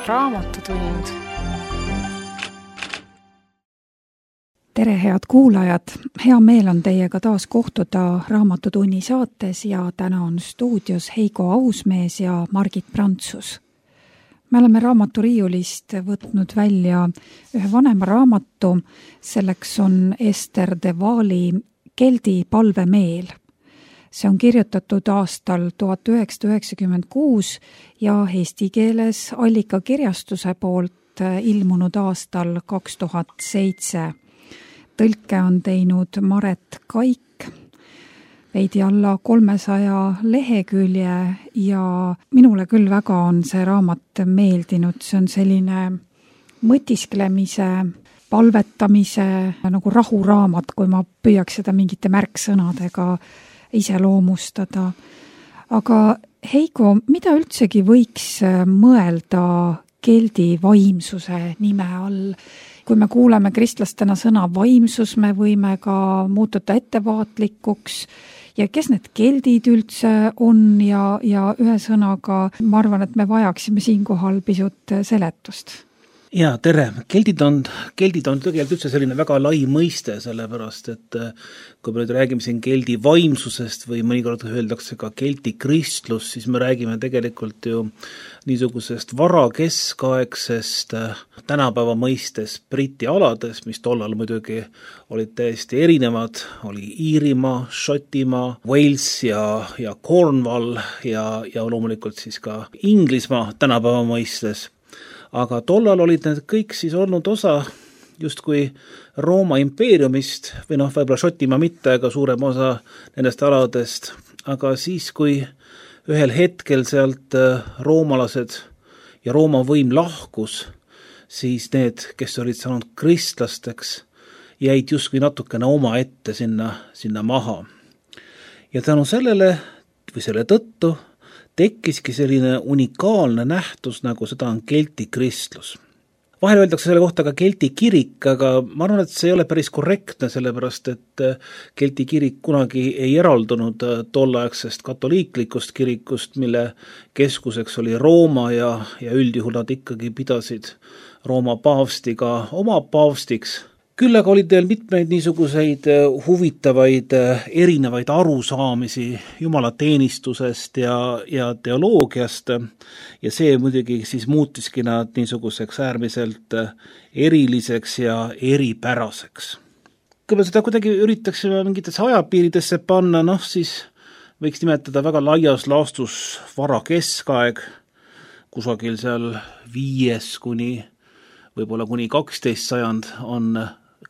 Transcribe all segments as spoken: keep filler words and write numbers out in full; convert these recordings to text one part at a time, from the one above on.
Raamatutund. Tere, head kuulajad! Hea meel on teiega taas kohtuda Raamatutunni saates ja täna on stuudios Heiko Ausmees ja Margit Prantsus. Me oleme raamaturiiulist võtnud välja ühe vanema raamatu, selleks on Ester de Waali Keldi palvemeel. See on kirjutatud aastal tuhat üheksasada üheksakümmend kuus ja eesti keeles Allika kirjastuse poolt ilmunud aastal kaks tuhat seitse. Tõlke on teinud Maret Kaik, veidi alla kolmesaja lehekülje ja minule küll väga on see raamat meeldinud. See on selline mõtisklemise, palvetamise nagu rahuraamat, kui ma püüaks seda mingite märksõnadega iseloomustada. Aga Heiko, mida üldsegi võiks mõelda keldi vaimsuse nime all? Kui me kuuleme kristlastena sõna vaimsus, me võime ka muutuda ettevaatlikuks ja kes need keldid üldse on ja, ja ühe sõnaga ma arvan, et me vajaksime siinkohal pisut seletust. Ja, tere. Keldid on, keldid on tegelikult üldse selline väga lai mõiste, sellepärast, et kui me nüüd räägime siin keldi vaimsusest või mõnikord öeldakse ka keldi kristlus, siis me räägime tegelikult ju niisugusest varakeskaegsest tänapäeva mõistes Briti alades, mis tollal muidugi olid täiesti erinevad, oli Iirimaa, Šotimaa, Wales ja, ja Cornwall ja, ja loomulikult siis ka Inglismaa tänapäeva mõistes. Aga tollal olid need kõik siis olnud osa justkui Rooma impeeriumist, või noh, võib-olla Šotimaa mitte, aga suurem osa nendest aladest. Aga siis, kui ühel hetkel sealt roomalased ja Rooma võim lahkus, siis need, kes olid saanud kristlasteks, jäid justkui natukene oma ette sinna, sinna maha. Ja tänu sellele või selle tõttu tekkiski selline unikaalne nähtus, nagu seda on kelti kristlus. Vahel öeldakse selle kohta ka kelti kirik, aga ma arvan, et see ei ole päris korrektne, sellepärast et kelti kirik kunagi ei eraldunud tolleaegsest katoliiklikust kirikust, mille keskuseks oli Rooma ja, ja üldjuhul nad ikkagi pidasid Rooma paavstiga oma paavstiks. Küll aga olid veel mitmeid niisuguseid huvitavaid erinevaid arusaamisi jumalateenistusest ja, ja teoloogiast ja see muidugi siis muutiski nad niisuguseks äärmiselt eriliseks ja eripäraseks. Kui me seda kuidagi üritaksime mingitesse ajapiiridesse panna, noh siis võiks nimetada väga laias laastus vara keskaeg, kusagil seal viies kuni võib-olla kuni kaksteist sajand on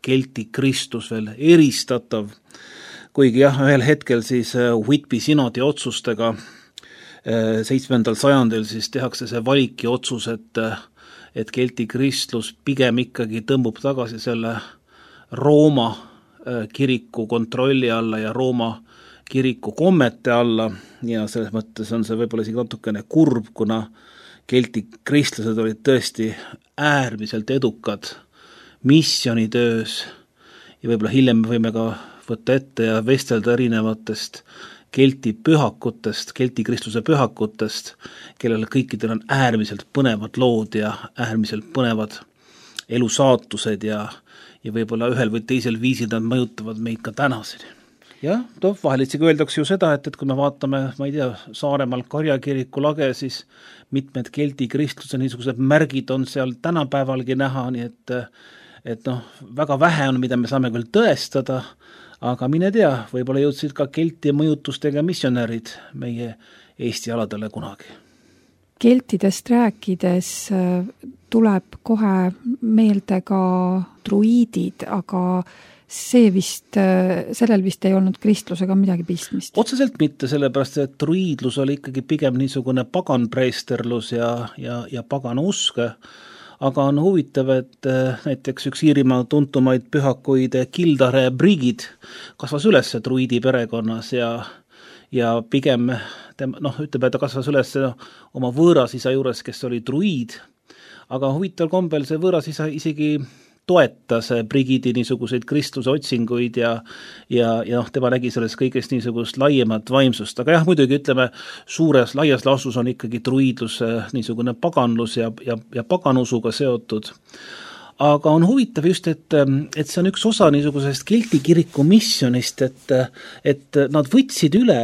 kelti kristus veel eristatav, kuigi jah, ühel hetkel siis Whitby sinodi otsustega seitsmendal sajandil siis tehakse see valiki otsus, et, et kelti kristlus pigem ikkagi tõmbub tagasi selle Rooma kiriku kontrolli alla ja Rooma kiriku kommete alla ja selles mõttes on see võib-olla isegi natukene kurb, kuna kelti kristlased olid tõesti äärmiselt edukad missionitöös ja võib-olla hiljem me võime ka võtta ette ja vestelda erinevatest kelti pühakutest, kelti kristluse pühakutest, kellele kõikidel on äärmiselt põnevad lood ja äärmiselt põnevad elusaatused ja, ja võib-olla ühel või teisel viisil nad mõjutavad meid ka tänaseni. Jah, toh, vahel itsegi öeldakse ju seda, et, et kui me vaatame, ma ei tea, Saaremaal Karjakiriku lage, siis mitmed kelti kristluse niisugused märgid on seal tänapäevalgi näha, nii et et noh, väga vähe on, mida me saame küll tõestada, aga mine tea, võib-olla jõudsid ka kelti mõjutustega missionärid meie Eesti aladele kunagi. Keltidest rääkides tuleb kohe meelde ka druiidid, aga see vist, sellel vist ei olnud kristlusega midagi pistmist. Otseselt mitte, sellepärast, et druiidlus oli ikkagi pigem niisugune paganpreesterlus ja, ja, ja pagan uske, aga on huvitav, et näiteks üks Iirimaa tuntumaid pühakuid Kildare Brigid kasvas üles druidi perekonnas ja, ja pigem, noh, ütleb, et ta kasvas üles oma võõrasisa juures, kes oli druid, aga huvitav kombel see võõrasisa isegi toetas Brigidi niisuguseid kristluse otsinguid ja ja, ja noh, tema nägi selles kõigest niisugust laiemat vaimsust. Aga jah, muidugi ütleme, suures laias laastus on ikkagi druidlus niisugune paganlus ja, ja, ja paganusuga seotud. Aga on huvitav just, et, et see on üks osa niisugusest Kelti kiriku missionist, et, et nad võtsid üle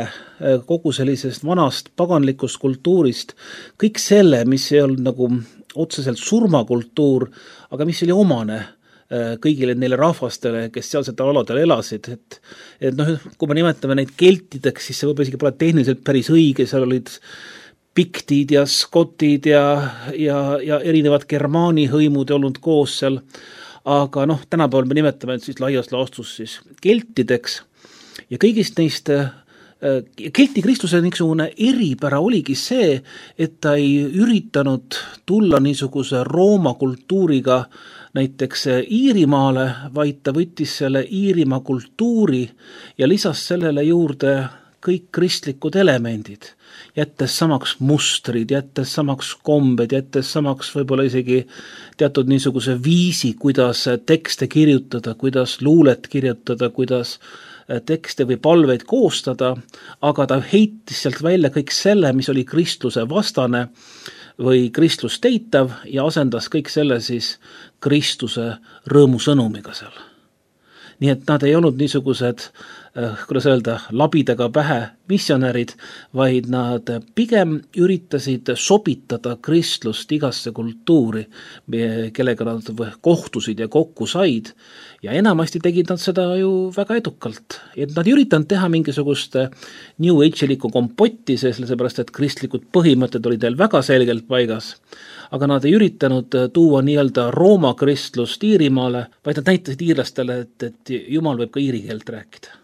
kogu sellisest vanast paganlikust kultuurist kõik selle, mis ei olnud nagu otseselt surmakultuur, aga mis oli omane kõigile neile rahvastele, kes sealsetel aladel elasid, et, et noh, kui me nimetame neid keltideks, siis see võib isegi pole tehniliselt päris õige, seal olid piktid ja skotid ja, ja, ja erinevad germaani hõimud olnud koos seal, aga noh, tänapäeval me nimetame siis laias laastus siis keltideks ja kõigist neist Kelti kristluse niisugune eripära oligi see, et ta ei üritanud tulla niisuguse Rooma kultuuriga näiteks Iirimaale, vaid ta võttis selle Iirimaa kultuuri ja lisas sellele juurde kõik kristlikud elemendid, jättes samaks mustrid, jättes samaks kombed, jättes samaks võib-olla isegi teatud niisuguse viisi, kuidas tekste kirjutada, kuidas luulet kirjutada, kuidas tekste või palveid koostada, aga ta heitis sealt välja kõik selle, mis oli kristluse vastane või kristlust eitav ja asendas kõik selle siis Kristuse rõõmusõnumiga seal. Nii et nad ei olnud niisugused, kuidas öelda, labidaga pähe missionärid, vaid nad pigem üritasid sobitada kristlust igasse kultuuri, kellega nad kohtusid ja kokku said. Ja enamasti tegid nad seda ju väga edukalt. Et nad ei üritanud teha mingisugust New Age-liku kompotti, sellepärast, et kristlikud põhimõtted olid neil väga selgelt paigas. Aga nad ei üritanud tuua nii-öelda Rooma kristlust Iirimaale, vaid nad näitasid iirlastele, et, et Jumal võib ka iiri keelt rääkida.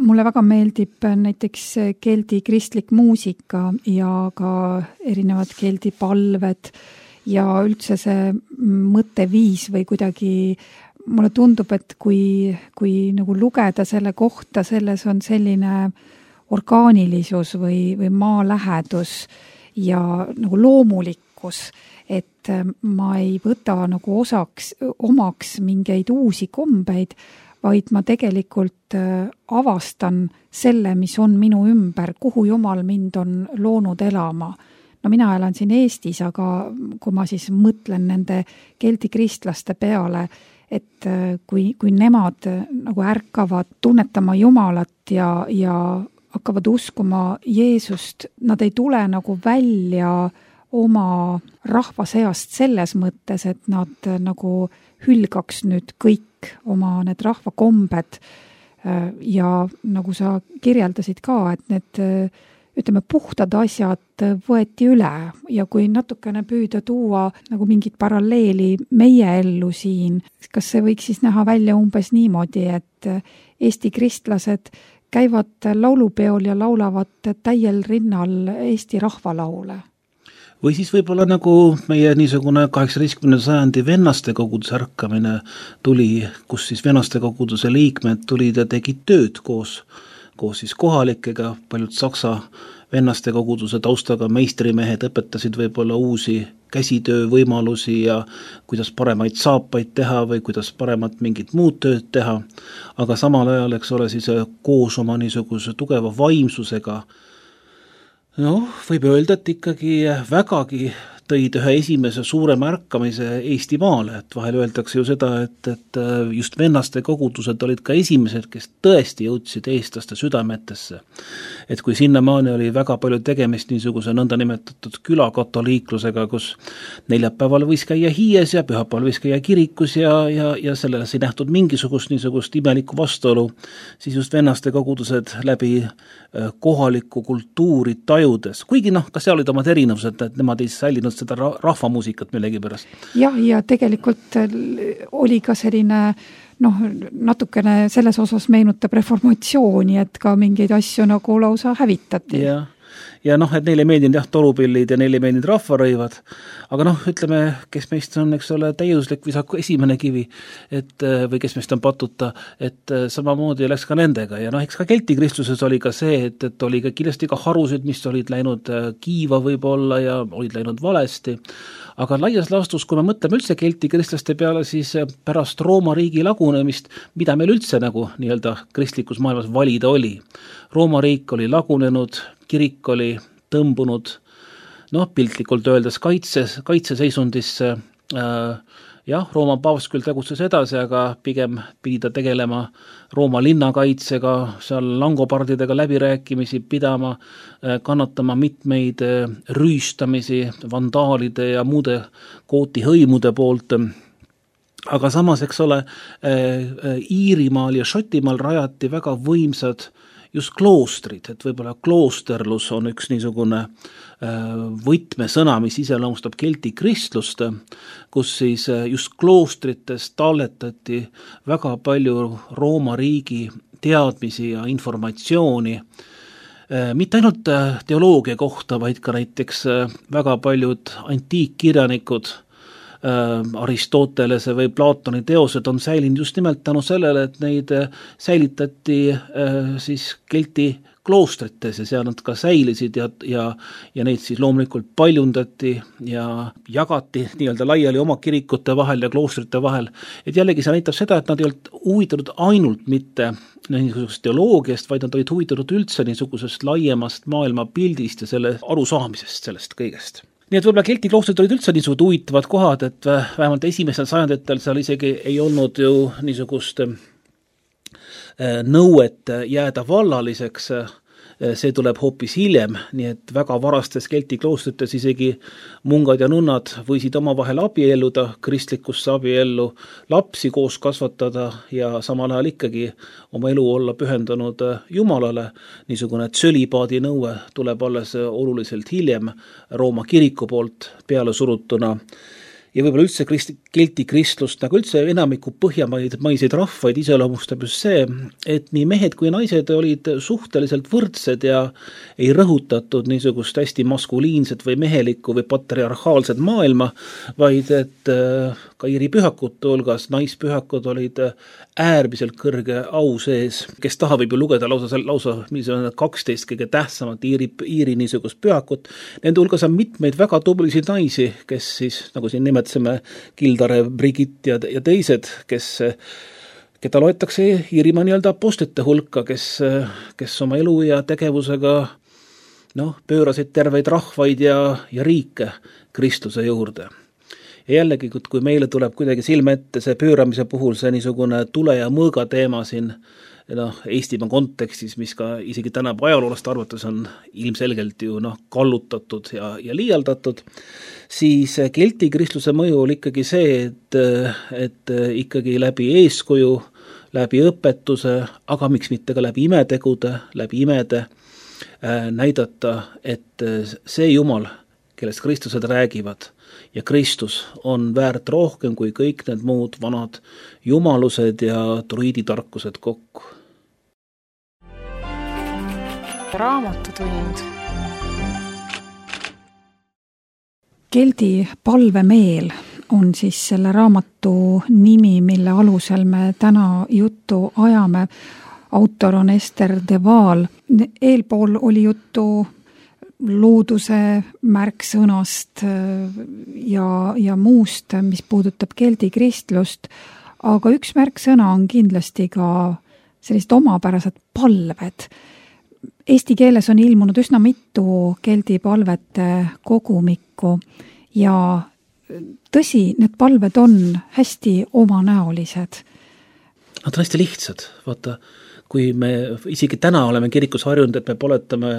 Mulle väga meeldib näiteks keldi kristlik muusika ja ka erinevad keldi palved ja üldse see mõtteviis või kuidagi mulle tundub, et kui, kui nagu lugeda selle kohta, selles on selline orgaanilisus või, või maalähedus ja nagu loomulikkus, et ma ei võta nagu osaks, omaks mingeid uusi kombeid, vaid ma tegelikult avastan selle, mis on minu ümber, kuhu Jumal mind on loonud elama. No mina elan siin Eestis, aga kui ma siis mõtlen nende keldi kristlaste peale, et kui, kui nemad nagu ärkavad tunnetama Jumalat ja, ja hakkavad uskuma Jeesust, nad ei tule nagu välja oma rahva seast selles mõttes, et nad nagu hülgaks nüüd kõik oma need rahvakombed ja nagu sa kirjeldasid ka, et need ütleme, puhtad asjad võeti üle ja kui natukene püüda tuua nagu mingit paralleeli meie ellu siin, kas see võiks siis näha välja umbes niimoodi, et Eesti kristlased käivad laulupeol ja laulavad täiel rinnal Eesti rahvalaule? Või siis võib-olla nagu meie niisugune kaheksateistkümnenda sajandi vennaste koguduse ärkamine tuli, kus siis vennaste koguduse liikmed tulid ja tegid tööd koos, koos siis kohalikega, paljud saksa vennaste koguduse taustaga meistrimehed õpetasid võib-olla uusi käsitöövõimalusi ja kuidas paremaid saapaid teha või kuidas paremat mingit muud tööd teha, aga samal ajal, eks ole, siis koos oma niisuguse tugeva vaimsusega noh, võib öelda, et ikkagi vägagi tõid ühe esimese suure märkamise Eestimaale, et vahel öeldakse ju seda, et, et just vennaste kogudused olid ka esimesed, kes tõesti jõudsid eestlaste südametesse. Et kui sinnamaani oli väga palju tegemist niisuguse nõnda nimetatud külakatoliiklusega, kus neljapäeval võis käia hiies ja pühapäeval võis käia kirikus ja, ja, ja selles ei nähtud mingisugust niisugust imelikku vastuolu, siis just vennaste kogudused läbi kohalikku kultuuri tajudes, kuigi noh, ka seal olid omad erinevused, et nemad ei säilinud seda rahvamuusikat millegi pärast. Jah, ja tegelikult oli ka selline noh, natukene selles osas meenutab reformatsiooni, et ka mingeid asju nagu lausa hävitati. Ja, ja noh, et neile meeldinud jah, torupillid ja neile meeldinud rahvarõivad, aga noh, ütleme, kes meist on, eks ole, täiuslik visaku esimene kivi, et või kes meist on patuta, et samamoodi läks ka nendega ja noh, eks ka Kelti kristluses oli ka see, et, et oli ka kindlasti ka harusid, mis olid läinud kiiva võib-olla ja olid läinud valesti, aga laias laastus, kui me mõtleme üldse Kelti kristlaste peale, siis pärast Rooma riigi lagunemist, mida meil üldse nagu nii-öelda kristlikus maailmas valida oli. Rooma riik oli lagunenud, kirik oli tõmbunud, noh, piltlikult öeldes kaitses, kaitseseisundisse, äh, jah, Rooma paavst küll tegutses edasi, aga pigem pidi ta tegelema Rooma linnakaitsega, seal langopardidega läbirääkimisi pidama, kannatama mitmeid rüüstamisi, vandaalide ja muude kootihõimude poolt. Aga samas, eks ole, Iirimaal ja Šotimaal rajati väga võimsad just kloostrid, et võib-olla kloosterlus on üks niisugune võtmesõna, mis iseloomustab Kelti kristlust, kus siis just kloostrites talletati väga palju Rooma riigi teadmisi ja informatsiooni, mitte ainult teoloogia kohta, vaid ka näiteks väga paljud antiikkirjanikud, Aristotelese või Platoni teosed on säilinud just nimelt tänu sellele, et neid säilitati siis Kelti kloostrites ja seal nad ka säilisid ja, ja, ja neid siis loomulikult paljundati ja jagati nii-öelda laiali oma kirikute vahel ja kloostrite vahel. Et jällegi see näitab seda, et nad ei olnud huvitatud ainult mitte niisugusest teoloogiast, vaid nad olid huvitatud üldse niisugusest laiemast maailmapildist ja selle arusaamisest sellest kõigest. Nii et võib-olla Kelti kloostrid olid üldse niisugused huvitavad kohad, et vähemalt esimesel sajanditel seal isegi ei olnud ju niisugust nõuet jääda vallaliseks, see tuleb hoopis hiljem, nii et väga varastes Kelti kloostrites isegi mungad ja nunnad võisid oma vahel abielluda, kristlikusse abiellu lapsi koos kasvatada ja samal ajal ikkagi oma elu olla pühendanud Jumalale. Niisugune tsölibaadi nõue tuleb alles oluliselt hiljem Rooma kiriku poolt peale surutuna. Ja võib-olla üldse Kelti kristlust, nagu üldse enamiku põhjamaiseid rahvaid iseloomustab just see, et nii mehed kui naised olid suhteliselt võrdsed ja ei rõhutatud niisugust hästi maskuliinset või mehelikku või patriarhaalset maailma, vaid et ka Iiri pühakute hulgas naispühakud olid äärmiselt kõrge au sees, kes taha võib ju lugeda lausa, lausa kaksteist kõige tähtsamat Iiri, Iiri niisugust pühakut. Nende hulgas on mitmeid väga tublisid naisi, kes siis, nagu siin nimetseme, Gildare, Brigitte ja, ja teised, kes, keda loetakse Iirimaa nii-öelda apostlite hulka, kes, kes oma elu ja tegevusega noh, pöörasid terveid rahvaid ja, ja riike Kristuse juurde. Ja jällegi, kui meile tuleb kuidagi silme ette see pööramise puhul see niisugune tule ja mõõga teema siin noh, Eestimaa kontekstis, mis ka isegi tänapäeva ajaloolast arvates on ilmselgelt ju noh, kallutatud ja, ja liialdatud, siis Kelti kristluse mõju oli ikkagi see, et, et ikkagi läbi eeskuju, läbi õpetuse, aga miks mitte ka läbi imetegude, läbi imede äh, näidata, et see Jumal, kellest kristlased räägivad, ja Kristus on väärt rohkem kui kõik need muud vanad jumalused ja druiiditarkused kokku. Raamatutund. Keldi palvemeel on siis selle raamatu nimi, mille alusel me täna juttu ajame. Autor on Ester de Waal. Eelpool oli juttu looduse märksõnast ja, ja muust, mis puudutab Keldi kristlust, aga üks märksõna on kindlasti ka sellised omapärased palved. Eesti keeles on ilmunud üsna mitu Keldi palvete kogumikku ja tõsi, need palved on hästi omanäolised. Nad on hästi lihtsad. Vaata, kui me isegi täna oleme kirikus harjunud, et me poletame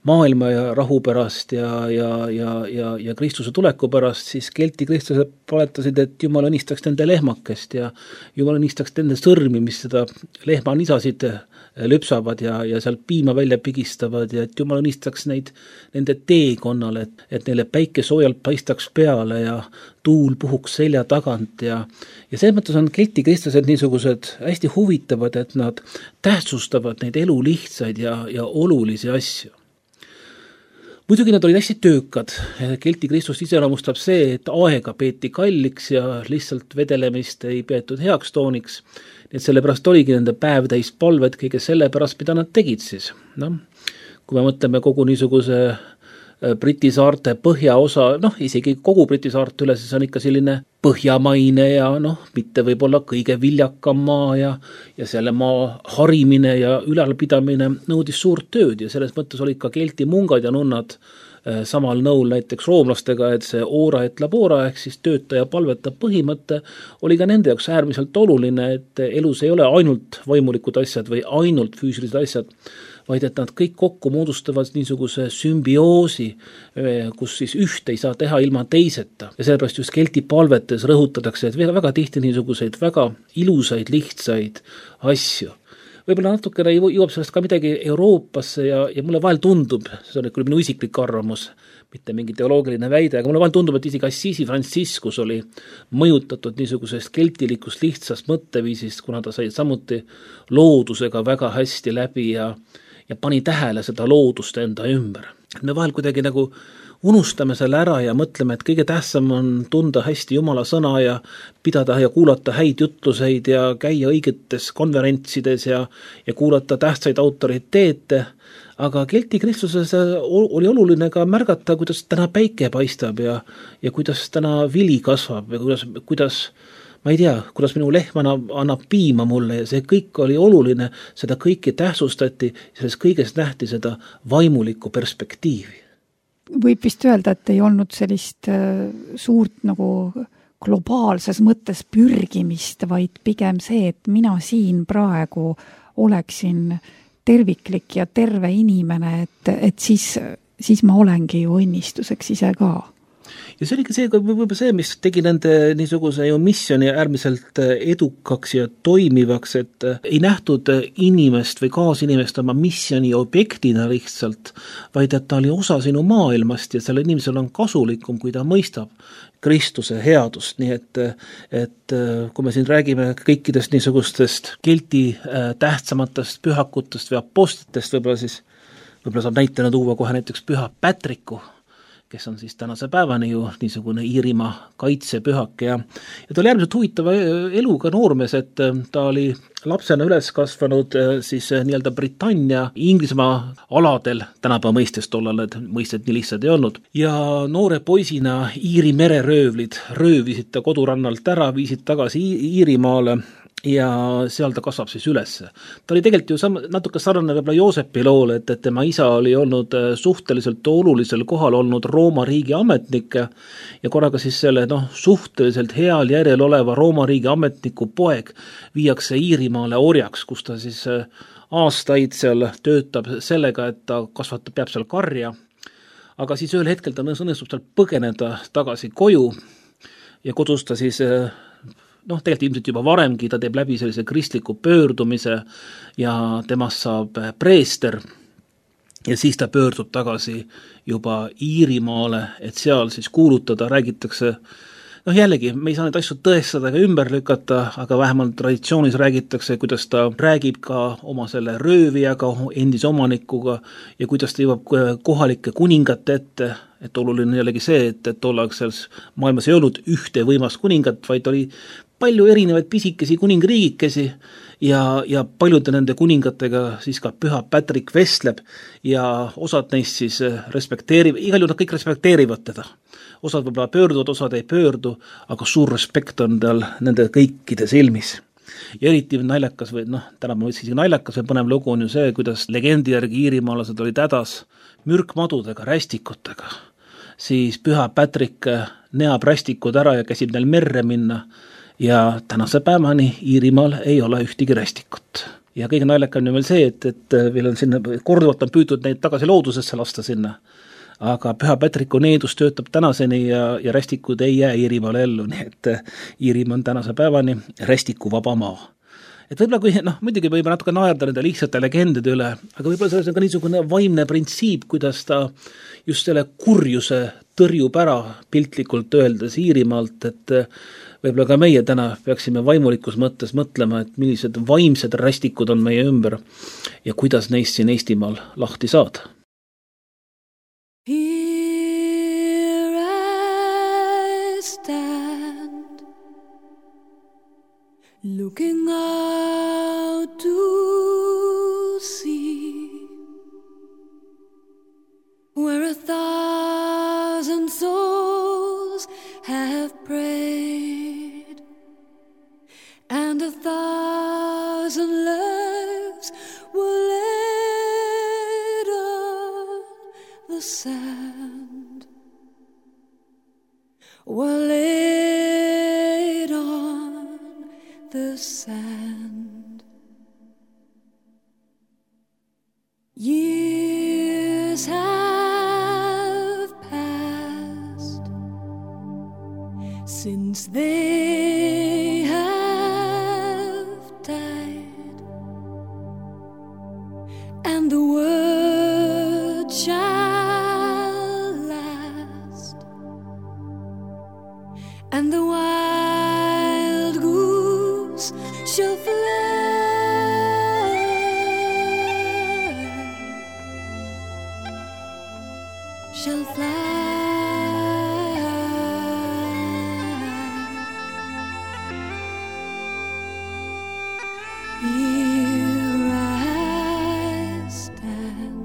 maailma ja rahu pärast ja, ja, ja, ja, ja Kristuse tuleku pärast, siis Kelti kristlased paletasid, et Jumal õnnistaks nende lehmakest ja Jumal õnnistaks nende sõrmi, mis seda lehma nisasid lüpsavad ja, ja sealt piima välja pigistavad ja et Jumal õnnistaks neid nende teekonnale, et, et neile päike soojalt paistaks peale ja tuul puhuks selja tagant ja, ja selles mõttes on Kelti kristlased niisugused hästi huvitavad, et nad tähtsustavad neid elu lihtsaid ja, ja olulisi asju. muidugi nad olid hästi töökad. Kelti Kristlust iseloomustab see, et aega peeti kalliks ja lihtsalt vedelemist ei peetud heaks tooniks. Nii et sellepärast oligi nende päev täis palved kõige selle pärast, mida nad tegid siis. No, kui me mõtleme kogu niisuguse Briti saarte põhjaosa, noh, isegi kogu Briti saarte üle, siis on ikka selline põhjamaine ja noh, mitte võib-olla kõige viljakam maa ja, ja selle maa harimine ja ülalpidamine nõudis suurt tööd ja selles mõttes olid ka kelti mungad ja nunnad eh, samal nõul näiteks roomlastega, et see ora et labora ehk siis töötaja palvetab põhimõte oli ka nende jaoks äärmiselt oluline, et elus ei ole ainult vaimulikud asjad või ainult füüsilised asjad, vaid et nad kõik kokku moodustavad niisuguse sümbioosi, kus siis üht ei saa teha ilma teiseta. Ja sellepärast just kelti palvetes rõhutatakse, et väga tihti niisuguseid väga ilusaid, lihtsaid asju. Võib-olla natukene jõuab sellest ka midagi Euroopasse ja, ja mulle vahel tundub, see on küll minu isiklik arvamus, mitte mingi teoloogiline väide, aga mulle vahel tundub, et isegi Assisi Franciscus oli mõjutatud niisugusest keltilikust lihtsast mõtteviisist, kuna ta sai samuti loodusega väga hästi läbi ja ja pani tähele seda loodust enda ümber. Me vahel kuidagi nagu unustame selle ära ja mõtleme, et kõige tähtsam on tunda hästi Jumala sõna ja pidada ja kuulata häid jutluseid ja käia õigetes konverentsides ja, ja kuulata tähtsaid autoriteete, aga kelti kristluses oli oluline ka märgata, kuidas täna päike paistab ja, ja kuidas täna vili kasvab ja kuidas, kuidas ma ei tea, kuidas minu lehm annab, annab piima mulle ja see kõik oli oluline, seda kõike tähtsustati ja selles kõigest nähti seda vaimulikku perspektiivi. Võib vist öelda, et ei olnud sellist suurt nagu globaalses mõttes pürgimist, vaid pigem see, et mina siin praegu oleksin terviklik ja terve inimene, et, et siis, siis ma olengi ju õnnistuseks ise ka. Ja see oligi see, võib-olla see, mis tegi nende niisuguse ju missiooni äärmiselt edukaks ja toimivaks, et ei nähtud inimest või kaasinimest oma missiooni objektina lihtsalt, vaid et ta oli osa sinu maailmast ja selle inimesel on kasulikum, kui ta mõistab Kristuse headust, nii et, et kui me siin räägime kõikidest niisugustest kelti tähtsamatest pühakutest või apostlitest, võib-olla siis võib-olla saab näitena tuua kohe näiteks püha Patricku, kes on siis tänase päevani ju niisugune Iirimaa kaitsepühak ja, ja ta oli äärmiselt huvitava eluga noormees, et ta oli lapsena üles kasvanud siis nii-öelda Britannia Inglismaa aladel, tänapäeva mõistes tollal need mõisted nii lihtsad ei olnud, ja noore poisina Iiri mereröövlid röövisid ta kodurannalt ära, viisid tagasi Iirimaale ja seal ta kasvab siis üles. Ta oli tegelikult ju sam- natuke sarnane võib-olla Joosepi loole, et, et tema isa oli olnud suhteliselt olulisel kohal olnud Rooma riigi ametnik ja korraga siis selle noh, suhteliselt heal järjel oleva Rooma riigi ametniku poeg viiakse Iirimaale orjaks, kus ta siis aastaid seal töötab sellega, et ta kasvatab, peab seal karja, aga siis ühel hetkel ta õnnestub seal põgeneda tagasi koju ja kodus ta siis noh, tegelikult ilmselt juba varemgi ta teeb läbi sellise kristliku pöördumise ja temast saab preester ja siis ta pöördub tagasi juba Iirimaale, et seal siis kuulutada, räägitakse, noh jällegi, me ei saa neid asju tõestada ega ümber lükata, aga vähemalt traditsioonis räägitakse, kuidas ta räägib ka oma selle röövijaga, endise omanikuga ja kuidas ta jõuab kohalike kuningate ette, et oluline jällegi see, et, et tollaksel maailmas ei olnud ühte võimast kuningat, vaid oli palju erinevaid pisikesi kuningriigikesi ja, ja paljude nende kuningatega siis ka püha Patrick vestleb ja osad neist siis respekteerivad, igal juhul nad kõik respekteerivad teda. Osad võib-olla pöörduvad, osad ei pöördu, aga suur respekt on tal nende kõikide silmis. Ja eriti naljakas või noh, täna ma võtsin isegi naljakas või põnev lugu on ju see, kuidas legendi järgi iirimaalased olid hädas mürkmadudega, rästikutega. Siis püha Patrick neab rästikud ära ja käsib neil merre minna ja tänase päevani Iirimaal ei ole ühtegi rästikut. Ja kõige naljakam on veel see, et, et veel on sinna, korduvalt on püütud neid tagasi loodusesse lasta sinna, aga püha Patricku needus töötab tänaseni ja, ja rästikud ei jää Iirimaale ellu, nii et Iirimaa on tänase päevani rästiku vaba maa. Et võib-olla kui, noh, muidugi võib natuke naerda nende lihtsate legendide üle, aga võib-olla selles on ka niisugune vaimne printsiip, kuidas ta just selle kurjuse tõrjub ära piltlikult öeldes Iirimaalt, et võib-olla ka meie täna peaksime vaimulikus mõttes mõtlema, et millised vaimsed rästikud on meie ümber ja kuidas neist siin Eestimaal lahti saada. looking out to sea, where a thousand souls have prayed, and a thousand lives were laid on the sand, were laid on the sand. Years have passed since they have died, and the word shall last, and the wild goose shall fly, shall fly. Here I stand,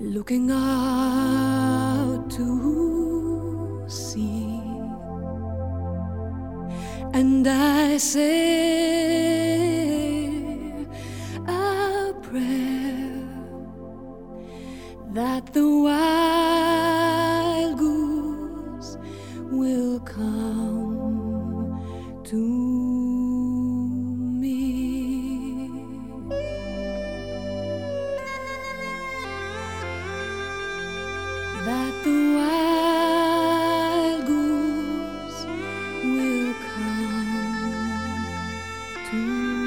looking out to sea, and I say a prayer that the wild goose will come to that the wild goose will come to me.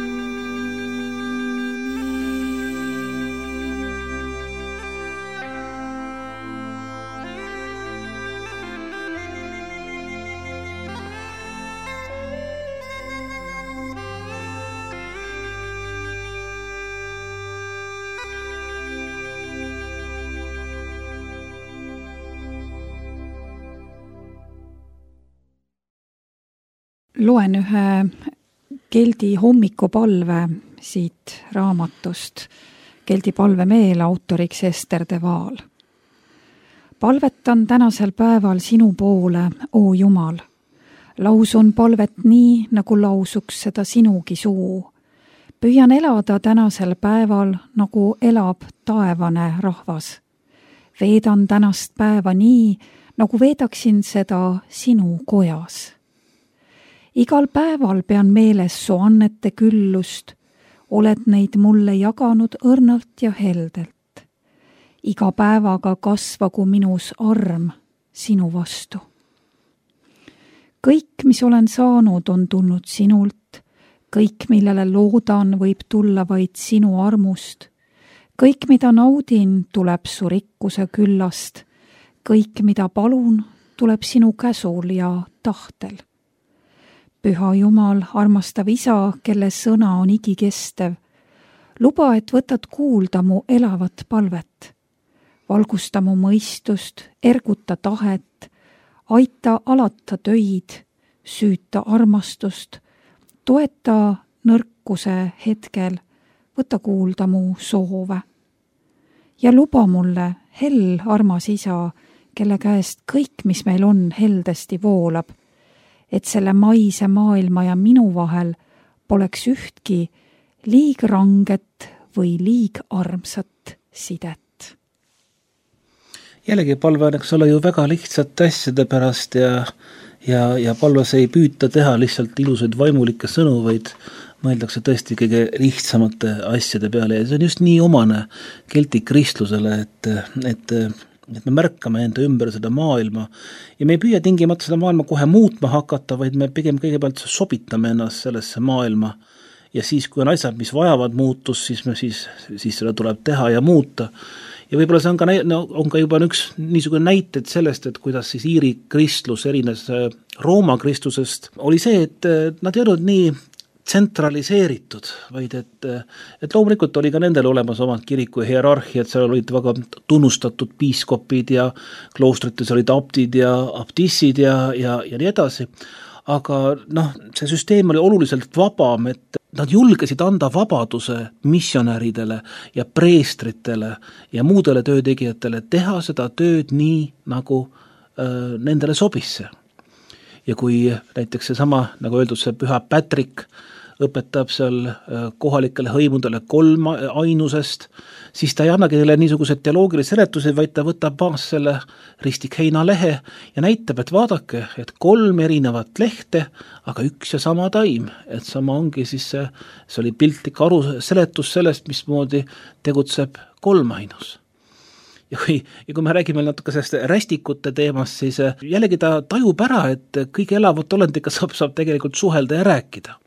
Loen ühe Keldi hommikupalve siit raamatust. Keldi palvemeel autoriks Ester de Waal. Palvetan tänasel päeval sinu poole, oo Jumal. Lausun palvet nii, nagu lausuks seda sinugi suu. Püüan elada tänasel päeval, nagu elab taevane rahvas. Veedan tänast päeva nii, nagu veedaksin seda sinu kojas. Igal päeval pean meeles su annete küllust, oled neid mulle jaganud õrnalt ja heldelt. Iga päevaga kasvagu minus arm sinu vastu. Kõik, mis olen saanud, on tulnud sinult, kõik, millele loodan, võib tulla vaid sinu armust. Kõik, mida naudin, tuleb su rikkuse küllast. Kõik, mida palun, tuleb sinu käsul ja tahtel. Püha Jumal, armastav Isa, kelle sõna on igikestev, luba, et võtad kuulda mu elavat palvet. Valgusta mu mõistust, erguta tahet, aita alata töid, süüta armastust, toeta nõrkuse hetkel, võta kuulda mu soove. Ja luba mulle, hell armas Isa, kelle käest kõik, mis meil on, heldesti voolab, et selle maise maailma ja minu vahel poleks ühtki liig ranget või liig armsat sidet. Jällegi palve on, eks ole, ju väga lihtsate asjade pärast ja, ja, ja palves ei püüta teha lihtsalt ilusaid vaimulikke sõnu, vaid mõeldakse tõesti kõige lihtsamate asjade peale ja see on just nii omane kelti kristlusele, et, et et me märkame enda ümber seda maailma ja me ei püüa tingimata seda maailma kohe muutma hakata, vaid me pigem kõigepealt sobitame ennast sellesse maailma ja siis, kui on asjad, mis vajavad muutust, siis, me siis, siis seda tuleb teha ja muuta. Ja võib-olla see on ka, no, on ka juba üks niisugune näited sellest, et kuidas siis Iiri kristlus erines Rooma kristlusest, oli see, et nad ei olnud nii tsentraliseeritud, vaid et, et loomulikult oli ka nendel olemas omad kiriku hierarhiad, seal olid väga tunnustatud piiskopid ja kloostrites olid abdid ja abtissid ja, ja, ja nii edasi. aga noh, see süsteem oli oluliselt vabam, et nad julgesid anda vabaduse missionäridele ja preestritele ja muudele töötegijatele teha seda tööd nii, nagu äh, nendele sobisse. Ja kui näiteks seesama, nagu öeldud, see püha Patrick õpetab seal kohalikele hõimudele kolm ainusest, siis ta ei annagi teile niisugused teoloogilisi seletusi, vaid ta võtab maas selle ristik heinalehe ja näitab, et vaadake, et kolm erinevat lehte, aga üks ja sama taim, et sama ongi siis see, see oli piltlik aru seletus sellest, mismoodi tegutseb kolmainus. Ja kui, ja kui me räägime natuke sellest rästikute teemast, siis jällegi ta tajub ära, et kõige elavat olendiga saab, saab tegelikult suhelda ja rääkida.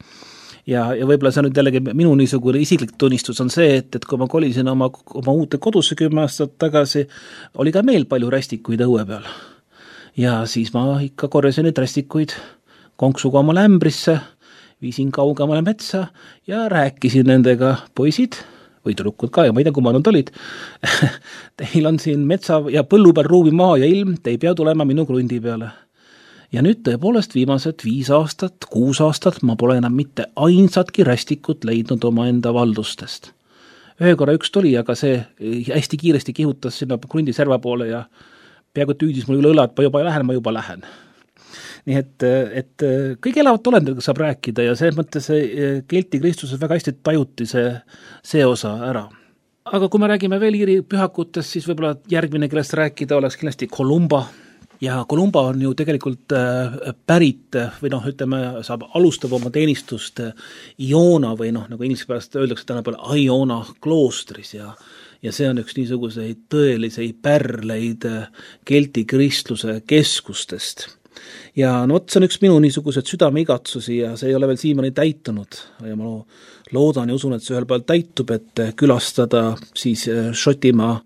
Ja, ja võib-olla see nüüd jällegi minu niisugune isiklik tunnistus on see, et, et kui ma kolisin oma, oma uute kodusse kümme aastat tagasi, oli ka meil palju rästikuid õue peal. Ja siis ma ikka korjasin neid rästikuid konksuga oma lämbrisse, viisin kaugemale metsa ja rääkisin nendega, poisid, või tüdrukud ka, ja ma ei tea, kui ma nad olid. Teil on siin metsa ja põllu peal ruumi maa ja ilm, te ei pea tulema minu krundi peale. Ja nüüd tõepoolest viimased viis aastat, kuus aastat ma pole enam mitte ainsatki rästikut leidnud oma enda valdustest. Ühe korra üks tuli, aga see hästi kiiresti kihutas sinna krundi serva poole ja peaaegu tüüdis mul üle õla, et ma juba lähen, ma juba lähen. Nii et, et kõige elavat olendega saab rääkida ja see mõttes Kelti Kristuses väga hästi tajuti see, see osa ära. Aga kui me räägime veel Iiri pühakutest, siis võib-olla järgmine, kellest rääkida oleks kindlasti Columba. Ja Columba on ju tegelikult pärit või noh, ütleme, saab alustab oma teenistust Iona või noh, nagu inglise pärast öeldakse tänapäeval Iona kloostris ja ja see on üks niisuguseid tõeliseid pärleid Kelti kristluse keskustest. Ja no, see on üks minu niisugused südameigatsusi ja see ei ole veel siiamaani täitunud ja ma loodan ja usun, et see ühel päeval täitub, et külastada siis Šotimaa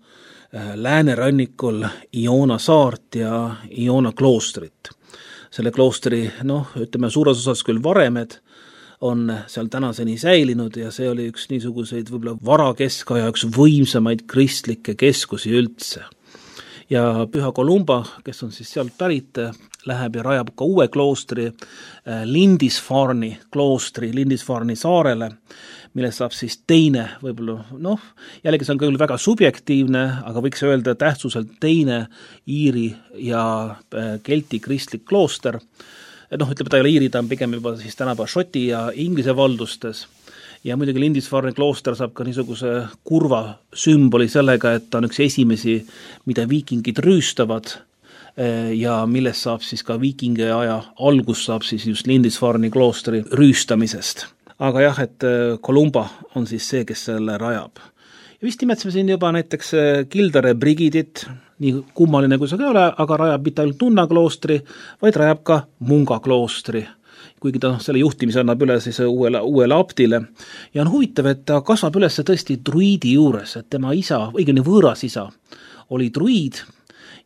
läänerannikul Iona saart ja Iona kloostrit. Selle kloostri, noh, ütleme suures osas küll varemed on seal tänaseni säilinud ja see oli üks niisuguseid võib-olla varakeskaja üks võimsamaid kristlikke keskusi üldse. Ja püha Columba, kes on siis sealt pärit, läheb ja rajab ka uue kloostri Lindisfarni kloostri, Lindisfarni saarele, millest saab siis teine, võib-olla, noh, jällegi see on küll väga subjektiivne, aga võiks öelda tähtsuselt teine Iiri ja Kelti kristlik klooster. Noh, ütleme, ta ei ole Iiri, ta on pigem juba siis tänapäeva Šoti ja Inglise valdustes. Ja muidugi Lindisfarni klooster saab ka niisuguse kurva sümboli sellega, et ta on üks esimesi, mida viikingid rüüstavad ja millest saab siis ka viikingi aja algus saab siis just Lindisfarni kloostri rüüstamisest. Aga jah, et Columba on siis see, kes selle rajab. Ja vist nimetsime siin juba näiteks Kildare Brigidit, nii kummaline kui see ka ole, aga rajab mitte ainult Nunna kloostri, vaid rajab ka Munga kloostri. Kuigi ta selle juhtimise annab üle siis uuele, uuele abdile. Ja on huvitav, et ta kasvab üles tõesti druidi juures, et tema isa, õigemini võõras isa, oli druid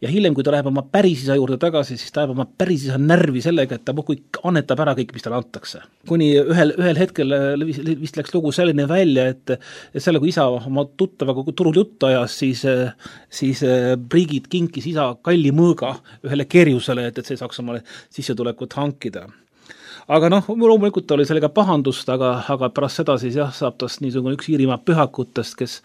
ja hiljem, kui ta läheb oma päris isa juurde tagasi, siis ta läheb oma päris isa närvi sellega, et ta muidugi annetab ära kõik, mis talle antakse. Kuni ühel, ühel hetkel vist läks lugu selline välja, et, et selle, kui isa oma tuttavaga turul juttu ajas, siis, siis Brigid kinkis isa kalli mõõga ühele kerjusele, et, et see saaks omale sissetulekut hankida. Aga noh, loomulikult oli sellega pahandust, aga, aga pärast seda siis jah, saab tast niisugune üks Iirimaa pühakutest, kes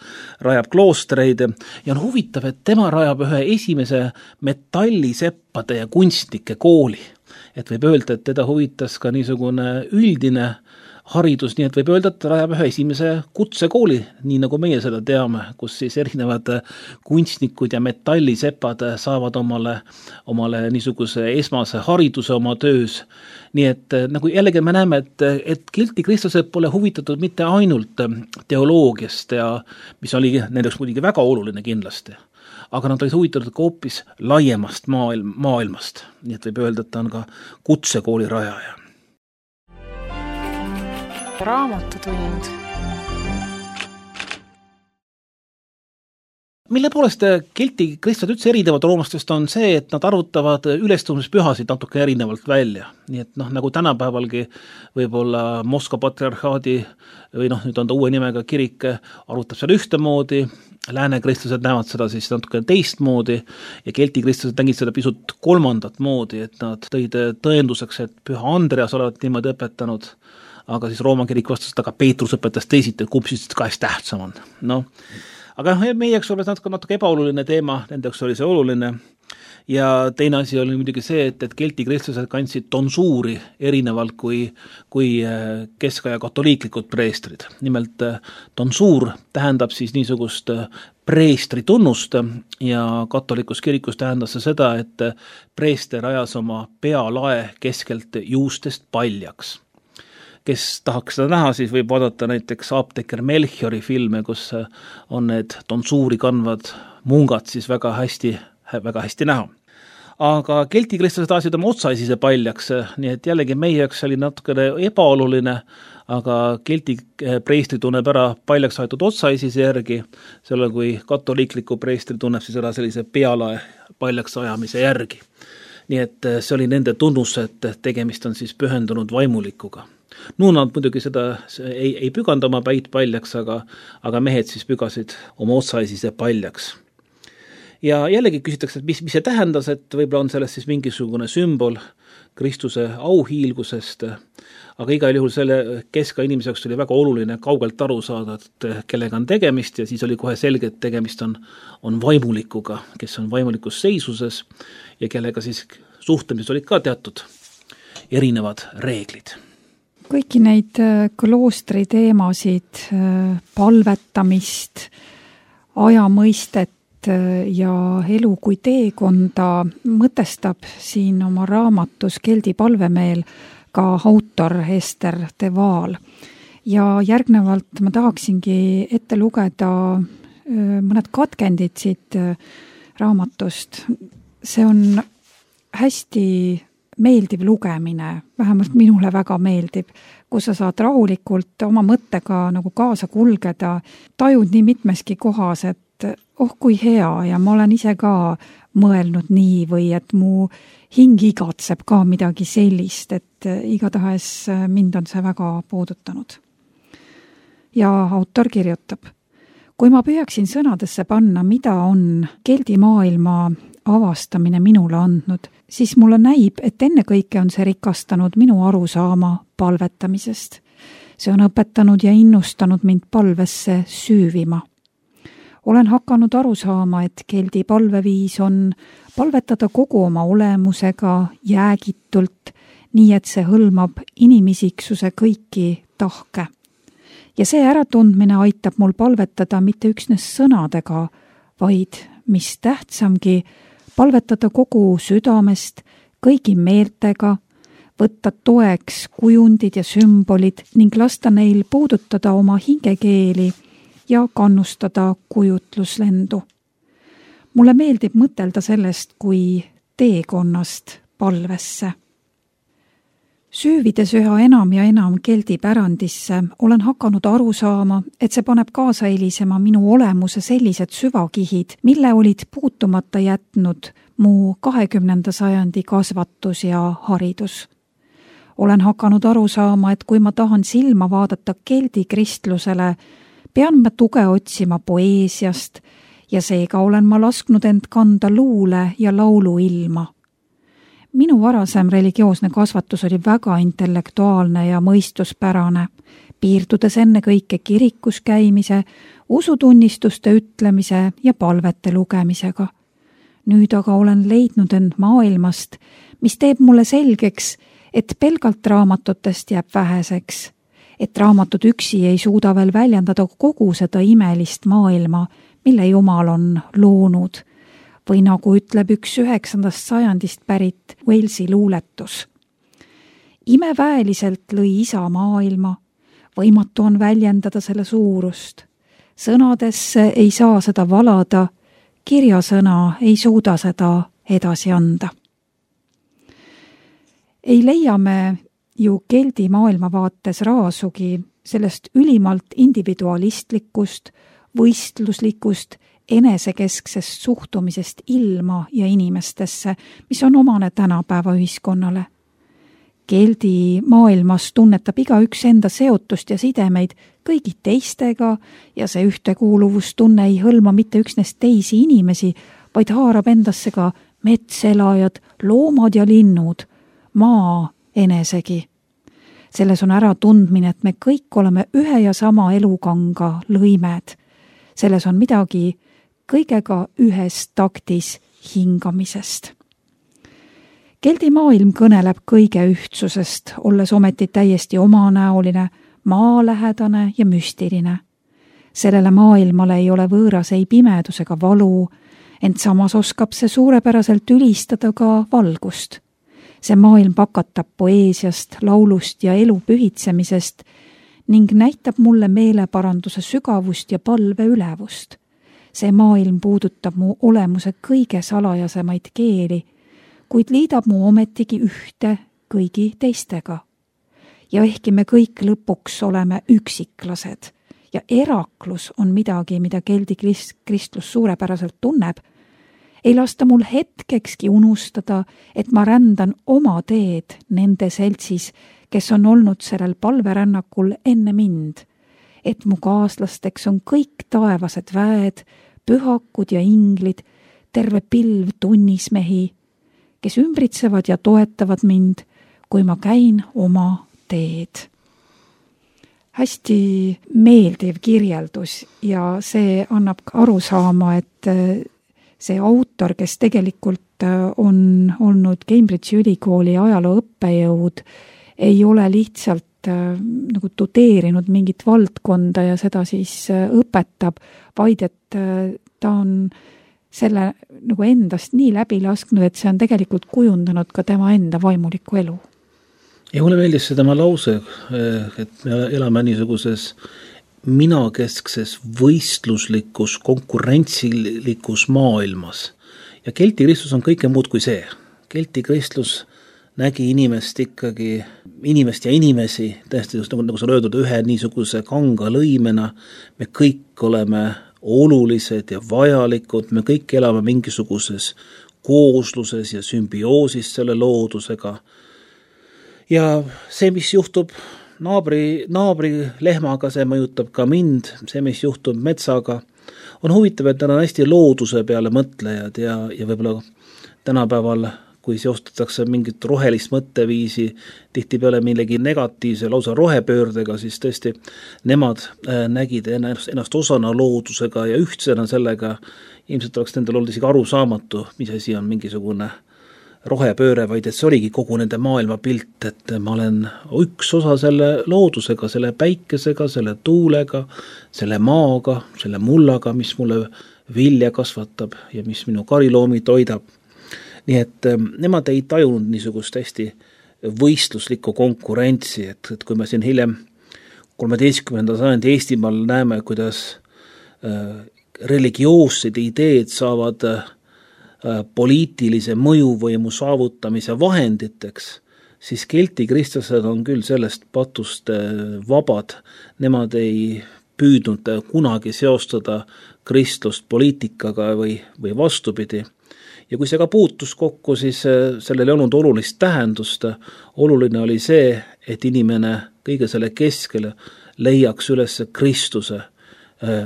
rajab kloostreid ja on huvitav, et tema rajab ühe esimese metalliseppade ja kunstnike kooli. Et võib öelda, et teda huvitas ka niisugune üldine haridus, nii et võib öelda, et rajab ühe esimese kutsekooli, nii nagu meie seda teame, kus siis erinevad kunstnikud ja metallisepad saavad omale, omale niisuguse esmase hariduse oma töös. Nii et nagu jällegi me näeme, et, et Kelti kristlased pole huvitatud mitte ainult teoloogiast, ja, mis oli nendeks muidugi väga oluline kindlasti, aga nad olid huvitatud ka hoopis laiemast maailm, maailmast. Nii et võib öelda, et ta on ka kutsekooli rajaja. Raamatutund. Mille poolest kelti kristlased üldse erinevad roomlastest on see, et nad arvutavad ülestõusmispühasid natuke erinevalt välja. Nii et noh, nagu tänapäevalgi võib-olla Moskva patriarhaadi või noh, nüüd on ta uue nimega kirik, arvutab seal ühtemoodi, lääne kristlased näevad seda siis natuke teistmoodi ja kelti kristlased nägid seda pisut kolmandat moodi, et nad tõid tõenduseks, et püha Andreas olevat niimoodi õpetanud, aga siis Rooma kirik vastas, et aga Peetrus õpetas teisiti, et kumb siis kahest tähtsam on. Noh, aga meie jaoks oli natuke, natuke ebaoluline teema, nende jaoks oli see oluline ja teine asi oli muidugi see, et, et kelti kristlased kandsid tonsuuri erinevalt kui, kui keskaja katoliiklikud preestrid. Nimelt tonsuur tähendab siis niisugust preestri tunnust ja katolikus kirikus tähendas see seda, et preester ajas oma pealae keskelt juustest paljaks. Kes tahaks seda näha, siis võib vaadata näiteks apteeker Melchiori filme, kus on need tonsuuri kandvad mungad siis väga hästi, väga hästi näha. Aga kelti kristlased ajasid oma otsaisise paljaks, nii et jällegi meie jaoks oli natukene ebaoluline, aga kelti preestri tunneb ära paljaks aetud otsaisise järgi, selle kui katoliikliku preestri tunneb siis ära sellise pealae paljaks ajamise järgi. Nii et see oli nende tunnus, et tegemist on siis pühendunud vaimulikuga. Nuunad muidugi seda ei, ei püganda oma päid paljaks, aga, aga mehed siis pügasid oma otsaisise paljaks. Ja jällegi küsitakse, et mis, mis see tähendas, et võib-olla on sellest siis mingisugune sümbol Kristuse auhiilgusest, aga igal juhul selle keska inimese jaoks oli väga oluline kaugelt aru saada, et kellega on tegemist ja siis oli kohe selge, et tegemist on, on vaimulikuga, kes on vaimulikus seisuses ja kellega siis suhtlemises olid ka teatud erinevad reeglid. Kõiki neid kloostri teemasid, palvetamist, ajamõistet ja elu kui teekonda mõtestab siin oma raamatus Keldi palvemeel ka autor Ester de Waal. Ja järgnevalt ma tahaksingi ette lugeda mõned katkendid siit raamatust. See on hästi meeldiv lugemine, vähemalt minule väga meeldib, kus sa saad rahulikult oma mõttega nagu kaasa kulgeda, tajud nii mitmeski kohas, et oh kui hea ja ma olen ise ka mõelnud nii või et mu hing igatseb ka midagi sellist, et igatahes mind on see väga puudutanud. Ja autor kirjutab, kui ma püüaksin sõnadesse panna, mida on keldi maailma avastamine minule andnud, siis mulle näib, et ennekõike on see rikastanud minu arusaama palvetamisest. See on õpetanud ja innustanud mind palvesse süüvima. Olen hakanud aru saama, et keldi palveviis on palvetada kogu oma olemusega jäägitult, nii et see hõlmab inimisiksuse kõiki tahke. Ja see äratundmine aitab mul palvetada mitte üksnes sõnadega, vaid mis tähtsamgi, palvetada kogu südamest, kõigi meeltega, võtta toeks kujundid ja sümbolid ning lasta neil puudutada oma hingekeeli ja kannustada kujutluslendu. Mulle meeldib mõtelda sellest kui teekonnast palvesse. Süüvides üha enam ja enam keldi pärandisse, olen hakanud aru saama, et see paneb kaasa elisema minu olemuse sellised süvakihid, mille olid puutumata jätnud mu kahekümnenda sajandi kasvatus ja haridus. Olen hakanud aru saama, et kui ma tahan silma vaadata keldi kristlusele, pean ma tuge otsima poeesiast ja seega olen ma lasknud end kanda luule ja laulu ilma. Minu varasem religioosne kasvatus oli väga intellektuaalne ja mõistuspärane, piirdudes enne kõike kirikus käimise, usutunnistuste ütlemise ja palvete lugemisega. Nüüd aga olen leidnud end maailmast, mis teeb mulle selgeks, et pelgalt raamatutest jääb väheseks, et raamatud üksi ei suuda veel väljendada kogu seda imelist maailma, mille Jumal on loonud, või nagu ütleb üks üheksandast sajandist pärit Walesi luuletus. Imeväeliselt lõi isa maailma, võimatu on väljendada selle suurust. Sõnadesse ei saa seda valada, kirjasõna ei suuda seda edasi anda. Ei leia me ju keldi maailmavaates raasugi sellest ülimalt individualistlikust, võistluslikust, enesekesksest suhtumisest ilma ja inimestesse, mis on omane tänapäeva ühiskonnale. Keldi maailmas tunnetab igaüks enda seotust ja sidemeid kõigi teistega ja see ühtekuuluvustunne ei hõlma mitte üksnes teisi inimesi, vaid haarab endasse ka metselajad, loomad ja linnud, maa enesegi. Selles on ära tundmine, et me kõik oleme ühe ja sama elukanga lõimed. Selles on midagi kõigega ühes taktis hingamisest. Keldi maailm kõneleb kõige ühtsusest, olles ometi täiesti omanäoline, maalähedane ja müstiline. Sellele maailmale ei ole võõras ei pimedus ega valu, ent samas oskab see suurepäraselt ülistada ka valgust. See maailm pakatab poeesiast, laulust ja elu pühitsemisest ning näitab mulle meeleparanduse sügavust ja palve ülevust. See maailm puudutab mu olemuse kõige salajasemaid keeli, kuid liidab mu ometigi ühte kõigi teistega. Ja ehkki me kõik lõpuks oleme üksiklased ja eraklus on midagi, mida keldi kristlus suurepäraselt tunneb, ei lasta mul hetkekski unustada, et ma rändan oma teed nende seltsis, kes on olnud sellel palverännakul enne mind, et mu kaaslasteks on kõik taevased väed, pühakud ja inglid, terve pilv tunnismehi, kes ümbritsevad ja toetavad mind, kui ma käin oma teed. Hästi meeldiv kirjeldus ja see annab aru saama, et see autor, kes tegelikult on olnud Cambridge'i ülikooli ajaloo õppejõud, ei ole lihtsalt nagu tudeerinud mingit valdkonda ja seda siis õpetab, vaid et ta on selle nagu endast nii läbi lasknud, et see on tegelikult kujundanud ka tema enda vaimulikku elu. Ja mulle meeldis see tema lause, et me elame niisuguses minakeskses võistluslikus, konkurentsilikus maailmas. Ja kelti kristlus on kõike muud kui see. Kelti kristlus nägi inimest ikkagi, inimest ja inimesi, tähesti just nagu, nagu sa löödud ühe niisuguse kanga lõimena. Me kõik oleme olulised ja vajalikud, me kõik elame mingisuguses koosluses ja sümbioosis selle loodusega. Ja see, mis juhtub naabri, naabri lehmaga, see mõjutab ka mind, see, mis juhtub metsaga, on huvitav, et nad on hästi looduse peale mõtlejad ja, ja võib-olla tänapäeval, kui seostatakse mingit rohelist mõtteviisi, tihti peale millegi negatiivse lausa rohepöördega, siis tõesti nemad nägid ennast, ennast osana loodusega ja ühtsena sellega. Ilmselt oleks nendel olnud isegi arusaamatu, mis asi on mingisugune rohepööre, vaid et see oligi kogu nende maailma pilt, et ma olen üks osa selle loodusega, selle päikesega, selle tuulega, selle maaga, selle mullaga, mis mulle vilja kasvatab ja mis minu kariloomi toidab. Nii et nemad ei tajunud niisugust hästi võistluslikku konkurentsi, et, et kui me siin hiljem kolmeteistkümnenda sajandi Eestimaal näeme, kuidas religioossed ideed saavad poliitilise mõjuvõimu saavutamise vahenditeks, siis kelti kristlased on küll sellest patust vabad. Nemad ei püüdnud kunagi seostada kristlust poliitikaga või, või vastupidi. Ja kui see ka puutus kokku, siis sellel ei olnud olulist tähendust. Oluline oli see, et inimene kõige selle keskele leiaks üles Kristuse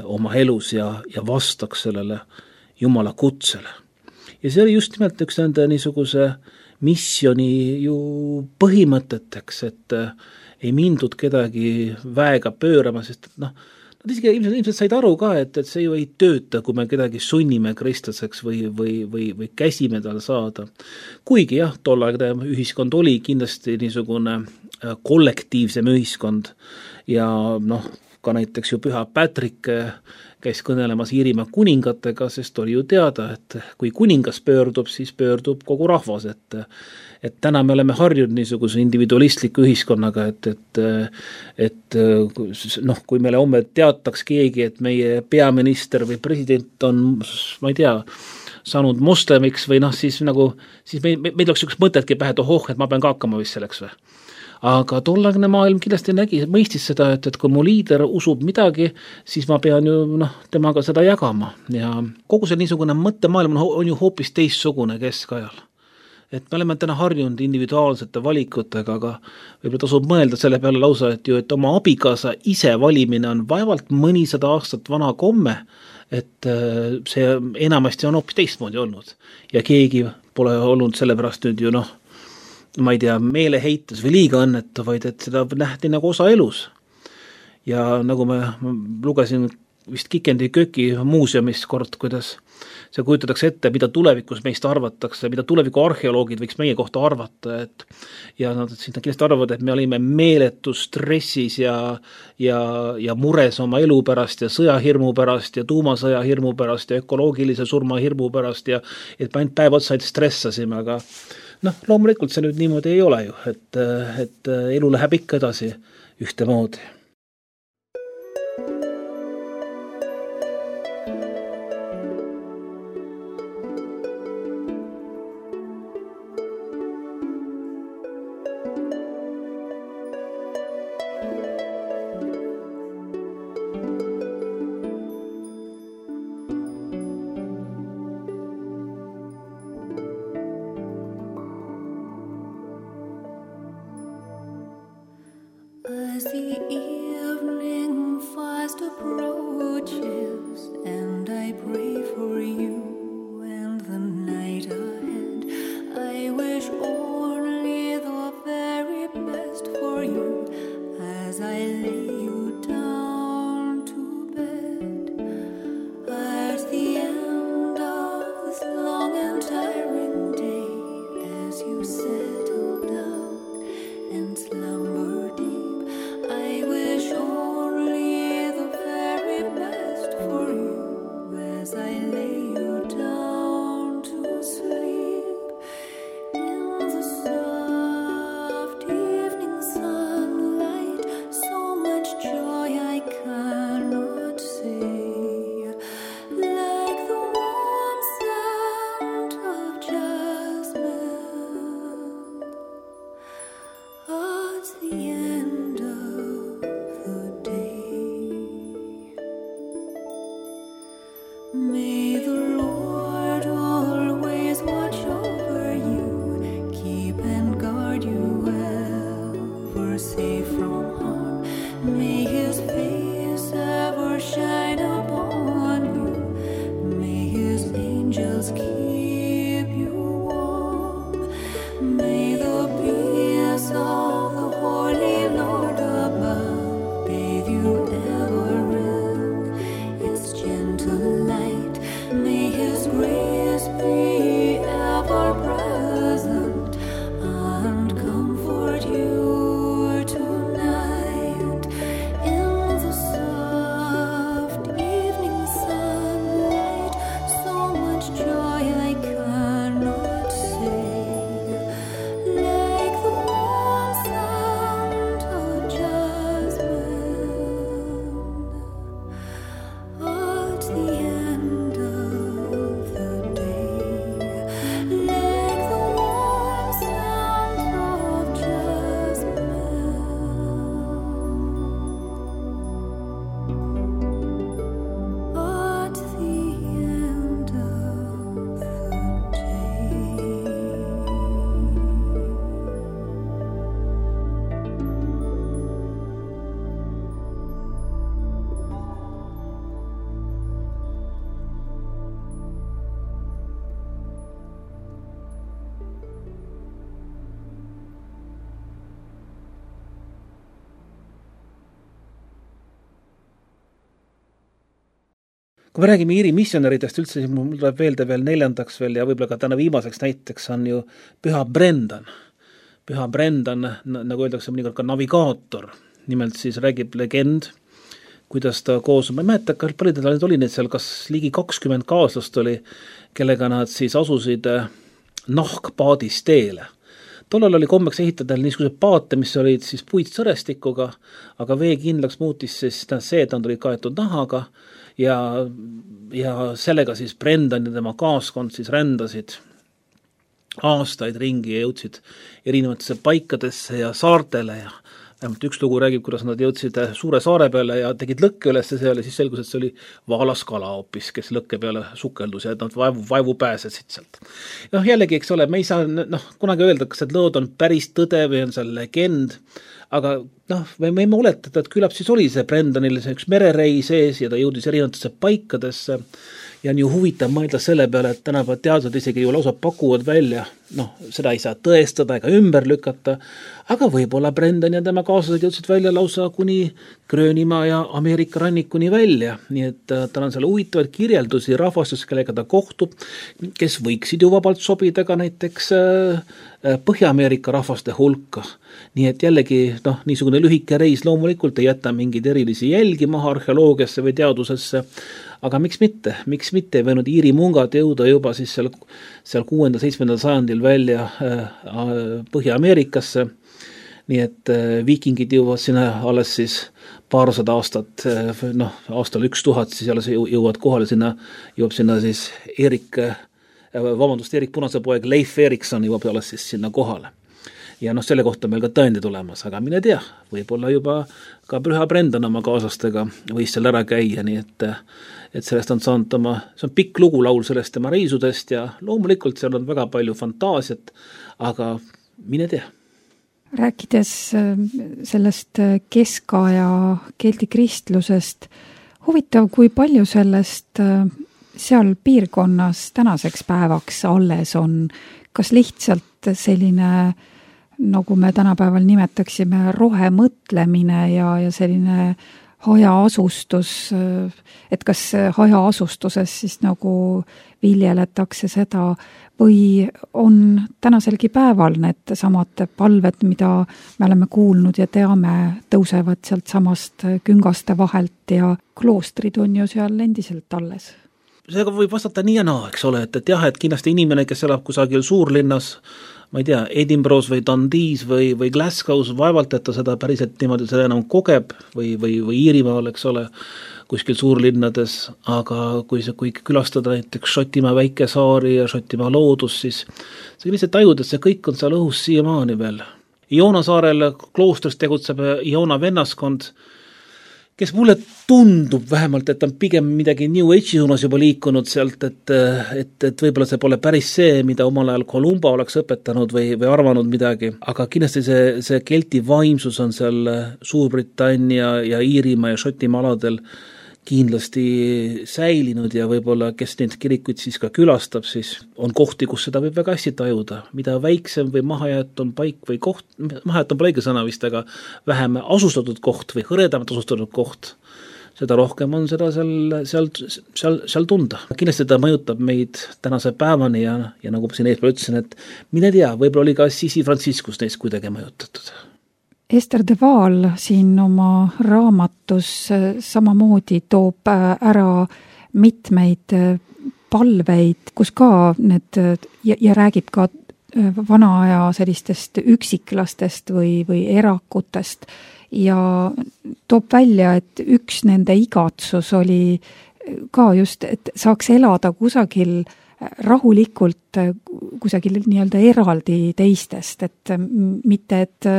oma elus ja, ja vastaks sellele Jumala kutsele. Ja see oli just nimelt üks nende niisuguse missioni ju põhimõteteks, et ei mindud kedagi väega pöörama, sest noh, nad isegi ilmselt, ilmselt said aru ka, et, et see ju ei tööta, kui me kedagi sunnime kristlaseks või, või, või, või käsime tal saada. Kuigi jah, tollaegne ühiskond oli kindlasti niisugune kollektiivsem ühiskond ja noh, ka näiteks ju Püha Patrick käis kõnelemas Iirimaa kuningatega, sest oli ju teada, et kui kuningas pöördub, siis pöördub kogu rahvas, et, et täna me oleme harjunud niisuguse individualistliku ühiskonnaga, et, et, et noh, kui meile homme teataks keegi, et meie peaminister või president on, ma ei tea, saanud moslemiks või noh, siis nagu, siis meil, meil oleks üks mõtetki pähe, et ohoh, et ma pean ka hakkama vist selleks või. aga tollagne maailm kindlasti nägi, mõistis seda, et, et kui mu liider usub midagi, siis ma pean ju noh, temaga seda jagama ja kogu see niisugune mõttemaailm on, on ju hoopis teistsugune keskajal. Et me oleme täna harjunud individuaalsete valikutega, aga võib-olla tasub mõelda selle peale lausa, et ju, et oma abikaasa ise valimine on vaevalt mõnisada aastat vana komme, et see enamasti on hoopis teistmoodi olnud ja keegi pole olnud sellepärast nüüd ju noh, ma ei tea, meeleheites või liiga õnnetu, vaid et seda nähti nagu osa elus. Ja nagu me lugesin vist Kikendi Köki muuseumis kord, kuidas see kujutatakse ette, mida tulevikus meist arvatakse, mida tuleviku arheoloogid võiks meie kohta arvata, et ja nad siis kindlasti arvavad, et me olime meeletus stressis ja, ja, ja mures oma elu pärast ja sõjahirmu pärast ja tuumasõja hirmu pärast ja ökoloogilise surma hirmu pärast ja et me ainult päev otsa stressasime, aga noh, loomulikult see nüüd niimoodi ei ole ju, et, et elu läheb ikka edasi ühtemoodi. As the evening fast approaches, and I pray for you and the night ahead, I wish only the very best for you as I lay you down to bed. At the end of this long and tiring day, as you settle down and slumber deep, I wish only the very best for you as I lay you down to sleep. In the soft evening sunlight, so much joy I cannot say, like the warm scent of jasmine at the end of the day. May the Lord always watch over you, keep and guard you ever safe from harm. May his face ever shine upon you, may his angels keep you warm. May the peace of the Holy Lord above bathe you ever in its gentle light. May his grace be ever present and comfort you tonight. In the soft evening sunlight, so much joy I cannot say, like the warm scent of jasmine at the end of the day, like the warm scent of jasmine at the end of the Kui me räägime Iiri missionäridest üldse, siis mul tuleb veelde veel neljandaks veel ja võib-olla ka täna viimaseks näiteks on ju Püha Brendan. Püha Brendan, nagu öeldakse mõnikord ka navigaator, nimelt siis räägib legend, kuidas ta koos, ma ei mäleta, kas palju teda oli neid seal, kas ligi kakskümmend kaaslast oli, kellega nad siis asusid nahkpaadis teele. Tollal oli kommeks ehitada niisugused paate, mis olid siis puitsõrestikuga, aga vee kindlaks muutis siis see, et nad olid kaetud nahaga ja, ja sellega siis Brendan ja tema kaaskond siis rändasid aastaid ringi ja jõudsid erinevatesse paikadesse ja saartele ja vähemalt üks lugu räägib, kuidas nad jõudsid suure saare peale ja tegid lõkke üles seal ja siis selgus, et see oli vaalaskala hoopis, kes lõkke peale sukeldus ja nad vaevu, vaevu pääsesid sealt. Noh, jällegi, eks ole, me ei saa noh, kunagi öelda, kas need lood on päris tõde või on seal legend, aga noh, me võime oletada, et küllap siis oli see Brendanil see üks merereis ees ja ta jõudis erinevatesse paikadesse ja on ju huvitav mõelda selle peale, et tänapäeval teadlased isegi ju lausa pakuvad välja, noh, seda ei saa tõestada ega ümber lükata, aga võib-olla Brendan ja tema kaaslased jõudsid välja lausa kuni Gröönimaa ja Ameerika rannikuni välja, nii et tal on seal huvitavaid kirjeldusi rahvastust, kellega ta kohtub, kes võiksid ju vabalt sobida ka näiteks Põhja-Ameerika rahvaste hulka. Nii et jällegi, noh, niisugune lühike reis loomulikult ei jäta mingeid erilisi jälgi maha arheoloogiasse või teadusesse, aga miks mitte, miks mitte ei võinud Iiri mungad jõuda juba siis seal, seal kuuenda seitsmendal sajandil välja Põhja-Ameerikasse, nii et viikingid jõuavad sinna alles siis paarsada aastat, noh, aastal üks tuhat siis alles jõuavad kohale sinna, jõuab sinna siis Erik, vabandust, Erik Punase poeg Leif Erikson jõuab alles siis sinna kohale. Ja noh, selle kohta meil ka tõendid olemas, aga mine tea, võib-olla juba ka Püha Brendan oma kaaslastega võis seal ära käia, nii et, et sellest on saanud oma, see on pikk lugu laul sellest tema reisudest ja loomulikult seal on väga palju fantaasiat, aga mine tea. Rääkides sellest keskaja keldi kristlusest, huvitav, kui palju sellest seal piirkonnas tänaseks päevaks alles on, kas lihtsalt selline nagu me tänapäeval nimetaksime rohemõtlemine ja, ja selline hajaasustus, et kas hajaasustuses siis nagu viljeletakse seda või on tänaselgi päeval need samad palved, mida me oleme kuulnud ja teame, tõusevad sealt samast küngaste vahelt ja kloostrid on ju seal endiselt alles. Seega võib vastata nii ja naa, eks ole, et, et jah, et kindlasti inimene, kes elab kusagil suurlinnas, ma ei tea, Edinburgh's või Dundee's või, või Glasgow's, vaevalt, et ta seda päriselt niimoodi seda enam kogeb või, või, või Iirimaal, eks ole, kuskil suurlinnades, aga kui see, kui külastada näiteks Šotimaa väikesaari ja Šotimaa loodus, siis see lihtsalt tajud, et see kõik on seal õhus siiamaani veel. Iona saarel kloostris tegutseb Iona vennaskond, kes mulle tundub vähemalt, et on pigem midagi New Age'i suunas juba liikunud sealt, et, et, et võib-olla see pole päris see, mida omal ajal Columba oleks õpetanud või, või arvanud midagi, aga kindlasti see, see kelti vaimsus on seal Suurbritannia ja Iirimaa ja Šotimaa aladel kindlasti säilinud ja võib-olla, kes neid kirikuid siis ka külastab, siis on kohti, kus seda võib väga hästi tajuda. Mida väiksem või mahajäetud paik või koht, mahajäetud on õige sõna vist, aga vähem asustatud koht või hõredamalt asustatud koht, seda rohkem on seda seal, seal, seal, seal tunda. Kindlasti ta mõjutab meid tänase päevani ja, ja nagu siin eespool ütlesin, et mine tea, võib-olla oli ka Sisi Franciscus neist kuidagi mõjutatud. Ester de Waal siin oma raamatus samamoodi toob ära mitmeid palveid, kus ka need ja, ja räägib ka vana aja sellistest üksiklastest või, või erakutest ja toob välja, et üks nende igatsus oli ka just, et saaks elada kusagil rahulikult kusagil nii-öelda eraldi teistest, et mitte, et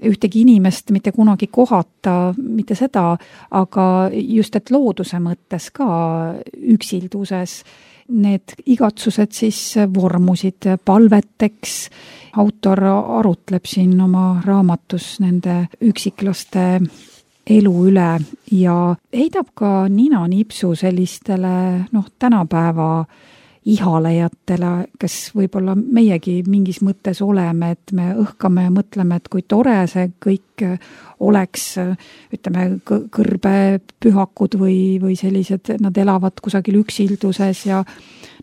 ühtegi inimest mitte kunagi kohata, mitte seda, aga just, et looduse mõttes ka üksilduses need igatsused siis vormusid palveteks. Autor arutleb siin oma raamatus nende üksiklaste elu üle ja heidab ka nina nipsu sellistele noh, tänapäeva ihalejatele, kes võib-olla meiegi mingis mõttes oleme, et me õhkame ja mõtleme, et kui tore see kõik oleks, ütleme, kõrbepühakud või, või sellised, nad elavad kusagil üksilduses ja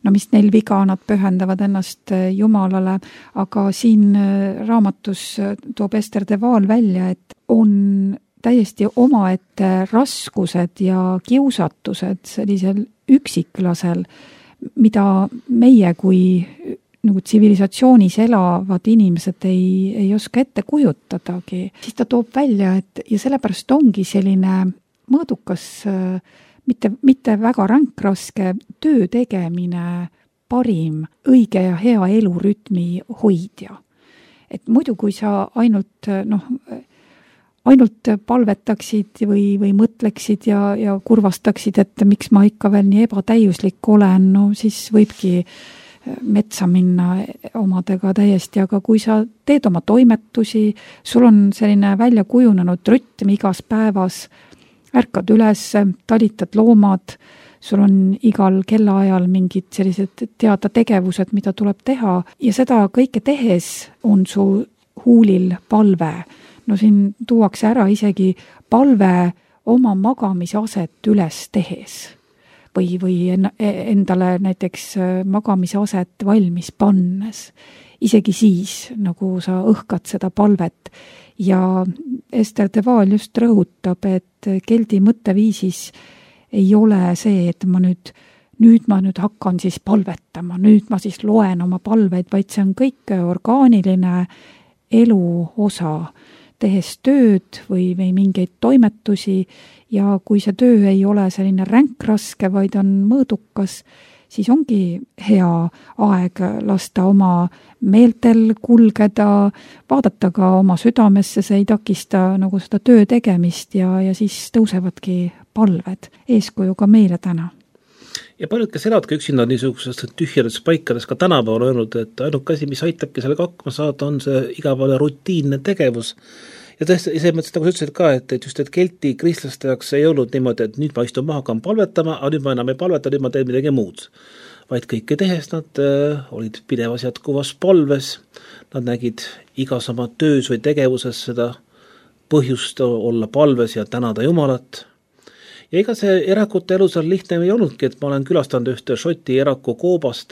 no mis neil viga, nad pühendavad ennast Jumalale, aga siin raamatus toob Ester de Waal välja, et on täiesti omaette raskused ja kiusatused sellisel üksiklasel, mida meie kui nagu tsivilisatsioonis elavad inimesed ei, ei oska ette kujutadagi. Siis ta toob välja, et ja sellepärast ongi selline mõõdukas, mitte, mitte väga ränkraske töö tegemine parim, õige ja hea elurütmi hoidja. Et muidu, kui sa ainult, noh, ainult palvetaksid või, või mõtleksid ja, ja kurvastaksid, et miks ma ikka veel nii ebatäiuslik olen, no siis võibki metsa minna omadega täiesti, aga kui sa teed oma toimetusi, sul on selline välja kujunenud rütm igas päevas, ärkad üles, talitad loomad, sul on igal kellaajal mingid sellised teada tegevused, mida tuleb teha ja seda kõike tehes on su huulil palve. No siin tuuakse ära isegi palve oma magamisaset üles tehes või, või endale näiteks magamisaset valmis pannes. Isegi siis, nagu sa õhkad seda palvet. Ja Ester de Waal just rõhutab, et keldi mõtteviisis ei ole see, et ma nüüd, nüüd ma nüüd hakkan siis palvetama, nüüd ma siis loen oma palveid, vaid see on kõik orgaaniline elu osa, tehes tööd või, või mingeid toimetusi ja kui see töö ei ole selline ränkraske, vaid on mõõdukas, siis ongi hea aeg lasta oma meeltel kulgeda, vaadata ka oma südamesse, see ei takista nagu seda töö tegemist ja, ja siis tõusevadki palved eeskuju ka meile täna. Ja paljud, kes elavadki üksinda niisugusest tühjades paikades ka tänapäeval öelnud, et ainuke asi, mis aitabki sellega hakkama saada, on see igapäevane rutiinne tegevus. Ja tõesti, ise mõtlesin, nagu sa ütlesid ka, et, et just et kelti kristlaste jaoks ei olnud niimoodi, et nüüd ma istun maha, hakkan palvetama, aga nüüd ma enam ei palveta, nüüd ma teen midagi muud. Vaid kõike tehes nad äh, olid pidevas jätkuvas palves, nad nägid igas oma töös või tegevuses seda põhjust olla palves ja tänada Jumalat. Ja ega see erakute elu seal lihtne ei olnudki, et ma olen külastanud ühte Šoti eraku koobast,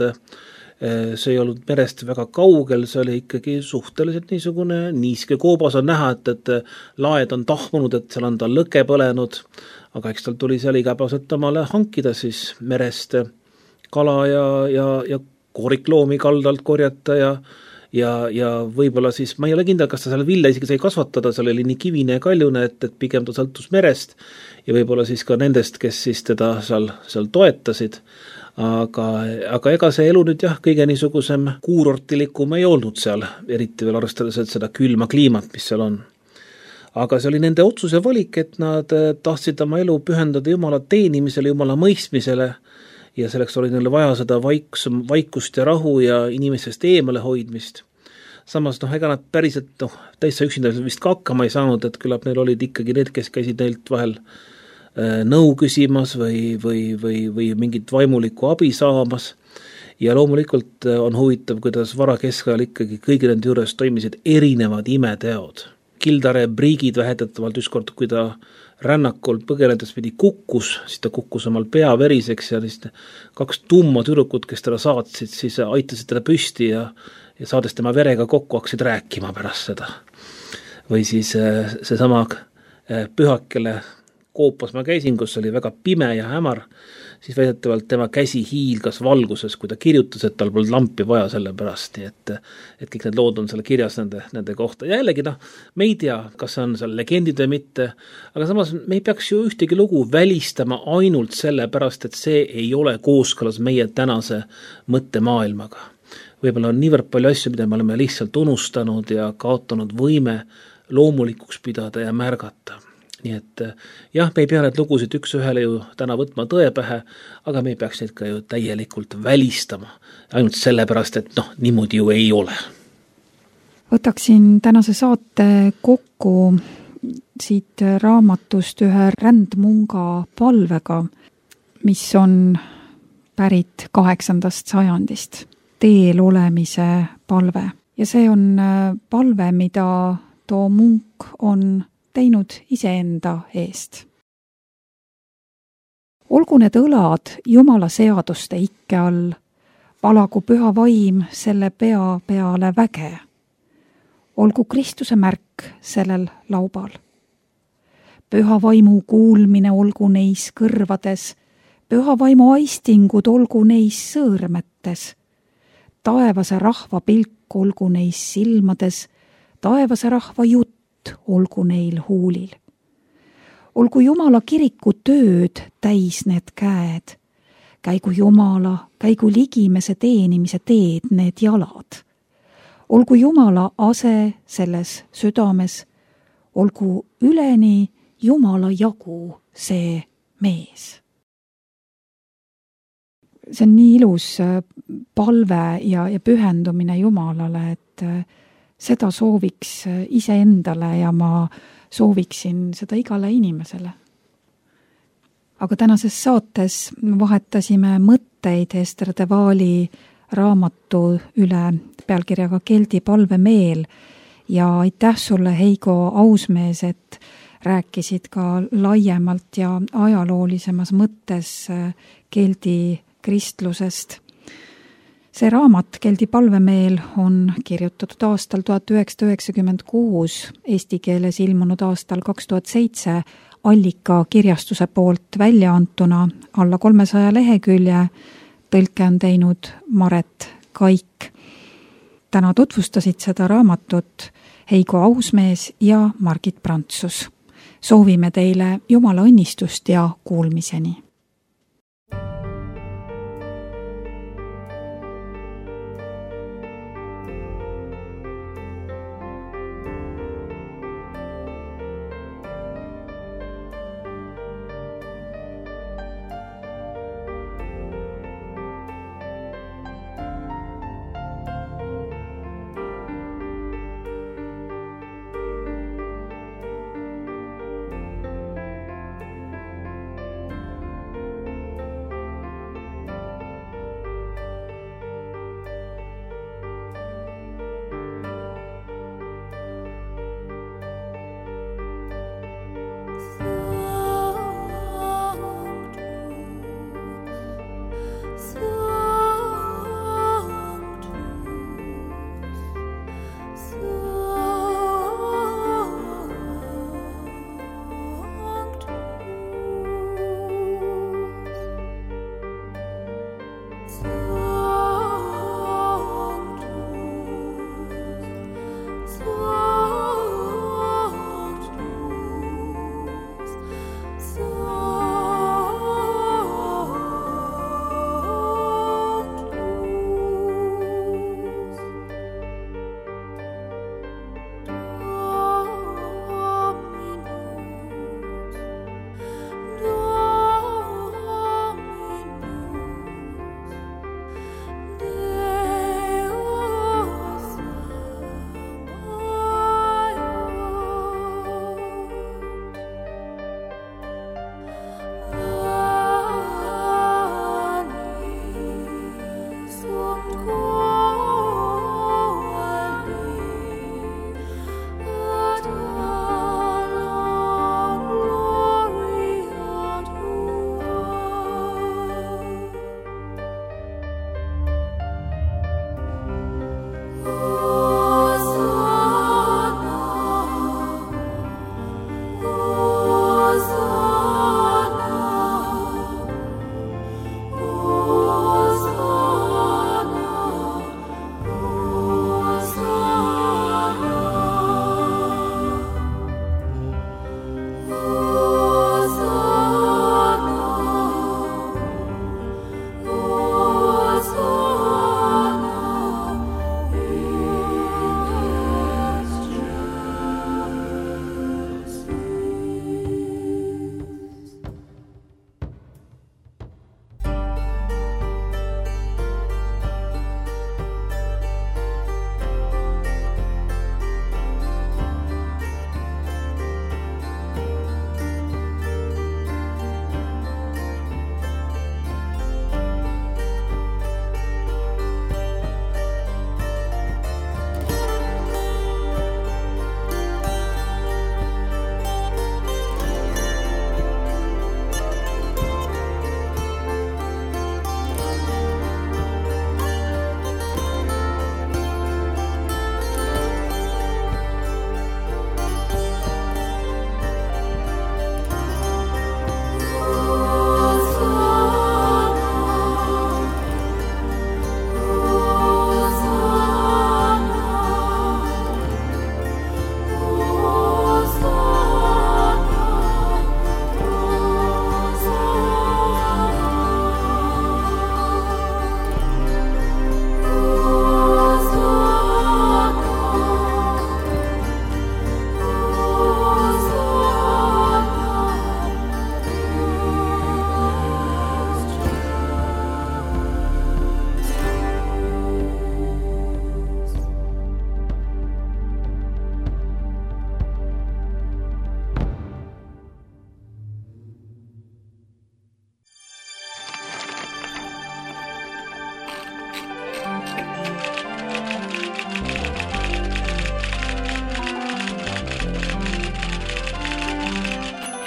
see ei olnud merest väga kaugel, see oli ikkagi suhteliselt niisugune niiske koobas on näha, et, et laed on tahmunud, et seal on ta lõke põlenud, aga eks tal tuli seal igapäevaselt omale hankida siis merest kala ja, ja, ja koorikloomi kaldalt korjata ja ja, ja võib-olla siis, ma ei ole kindel, kas ta seal vilja isegi sai kasvatada, seal oli nii kivine ja kaljune, et, et pigem ta sõltus merest ja võib-olla siis ka nendest, kes siis teda seal, seal toetasid. Aga, aga ega see elu nüüd jah, kõige niisugusem kuurortilikum ei olnud seal, eriti veel arvestades seda külma kliimat, mis seal on. Aga see oli nende otsuse valik, et nad tahtsid oma elu pühendada Jumala teenimisele, Jumala mõistmisele ja selleks oli neile vaja seda vaiks, vaikust ja rahu ja inimestest eemale hoidmist. Samas, noh, ega nad päriselt, noh, täitsa üksinda vist ka hakkama ei saanud, et küllap neil olid ikkagi need, kes käisid neilt vahel äh, nõu küsimas või, või, või, või mingit vaimulikku abi saamas. Ja loomulikult on huvitav, kuidas varakeskajal ikkagi kõigi nende juures toimisid erinevad imeteod. Kildare Briigid vähetatavalt ükskord, kui ta rännakul põgenedes pidi kukkus, siis ta kukkus omal pea veriseks ja siis kaks tumma tüdrukut, kes teda saatsid, siis aitasid teda püsti ja, ja saades tema verega kokku hakkasid rääkima pärast seda. Või siis seesama pühakele koopas ma käisin, kus oli väga pime ja hämar, siis väidetavalt tema käsi hiilgas valguses, kui ta kirjutas, et tal polnud lampi vaja selle pärast, nii et, et kõik need lood on seal kirjas nende, nende kohta. Ja jällegi, noh, me ei tea, kas on seal legendid või mitte, aga samas me ei peaks ju ühtegi lugu välistama ainult selle pärast, et see ei ole kooskõlas meie tänase mõttemaailmaga. Võib-olla on niivõrd palju asju, mida me oleme lihtsalt unustanud ja kaotanud võime loomulikuks pidada ja märgata. Nii et jah, me ei pea need lugusid üks ühele ju täna võtma tõe pähe, aga me ei peaks neid ka ju täielikult välistama. Ainult sellepärast, et noh, niimoodi ju ei ole. Võtaksin tänase saate kokku siit raamatust ühe rändmunga palvega, mis on pärit kaheksandast sajandist. Teel olemise palve. Ja see on palve, mida too munk on teinud iseenda eest. Olgu need õlad Jumala seaduste ikke all, valagu püha vaim selle pea peale väge. Olgu Kristuse märk sellel laubal. Püha vaimu kuulmine olgu neis kõrvades, püha vaimu aistingud olgu neis sõõrmetes, taevase rahva pilk olgu neis silmades, taevase rahva jutt olgu neil huulil. Olgu Jumala kiriku tööd täis need käed, käigu Jumala, käigu ligimese teenimise teed need jalad. Olgu Jumala ase selles südames, olgu üleni Jumala jagu see mees. See on nii ilus palve ja, ja pühendumine Jumalale, et seda sooviks iseendale ja ma sooviksin seda igale inimesele. Aga tänases saates vahetasime mõtteid Ester de Waali raamatu üle pealkirjaga Keldi palvemeel ja aitäh sulle, Heigo Ausmees, et rääkisid ka laiemalt ja ajaloolisemas mõttes Keldi kristlusest. See raamat Keldi palvemeel on kirjutatud aastal tuhat üheksasada üheksakümmend kuus, eesti keeles ilmunud aastal kaks tuhat seitse, Allika kirjastuse poolt välja antuna alla kolmesaja lehekülje, tõlke on teinud Maret Kaik. Täna tutvustasid seda raamatut Heigo Ausmees ja Margit Prantsus. Soovime teile Jumala õnnistust ja kuulmiseni.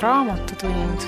raamatutund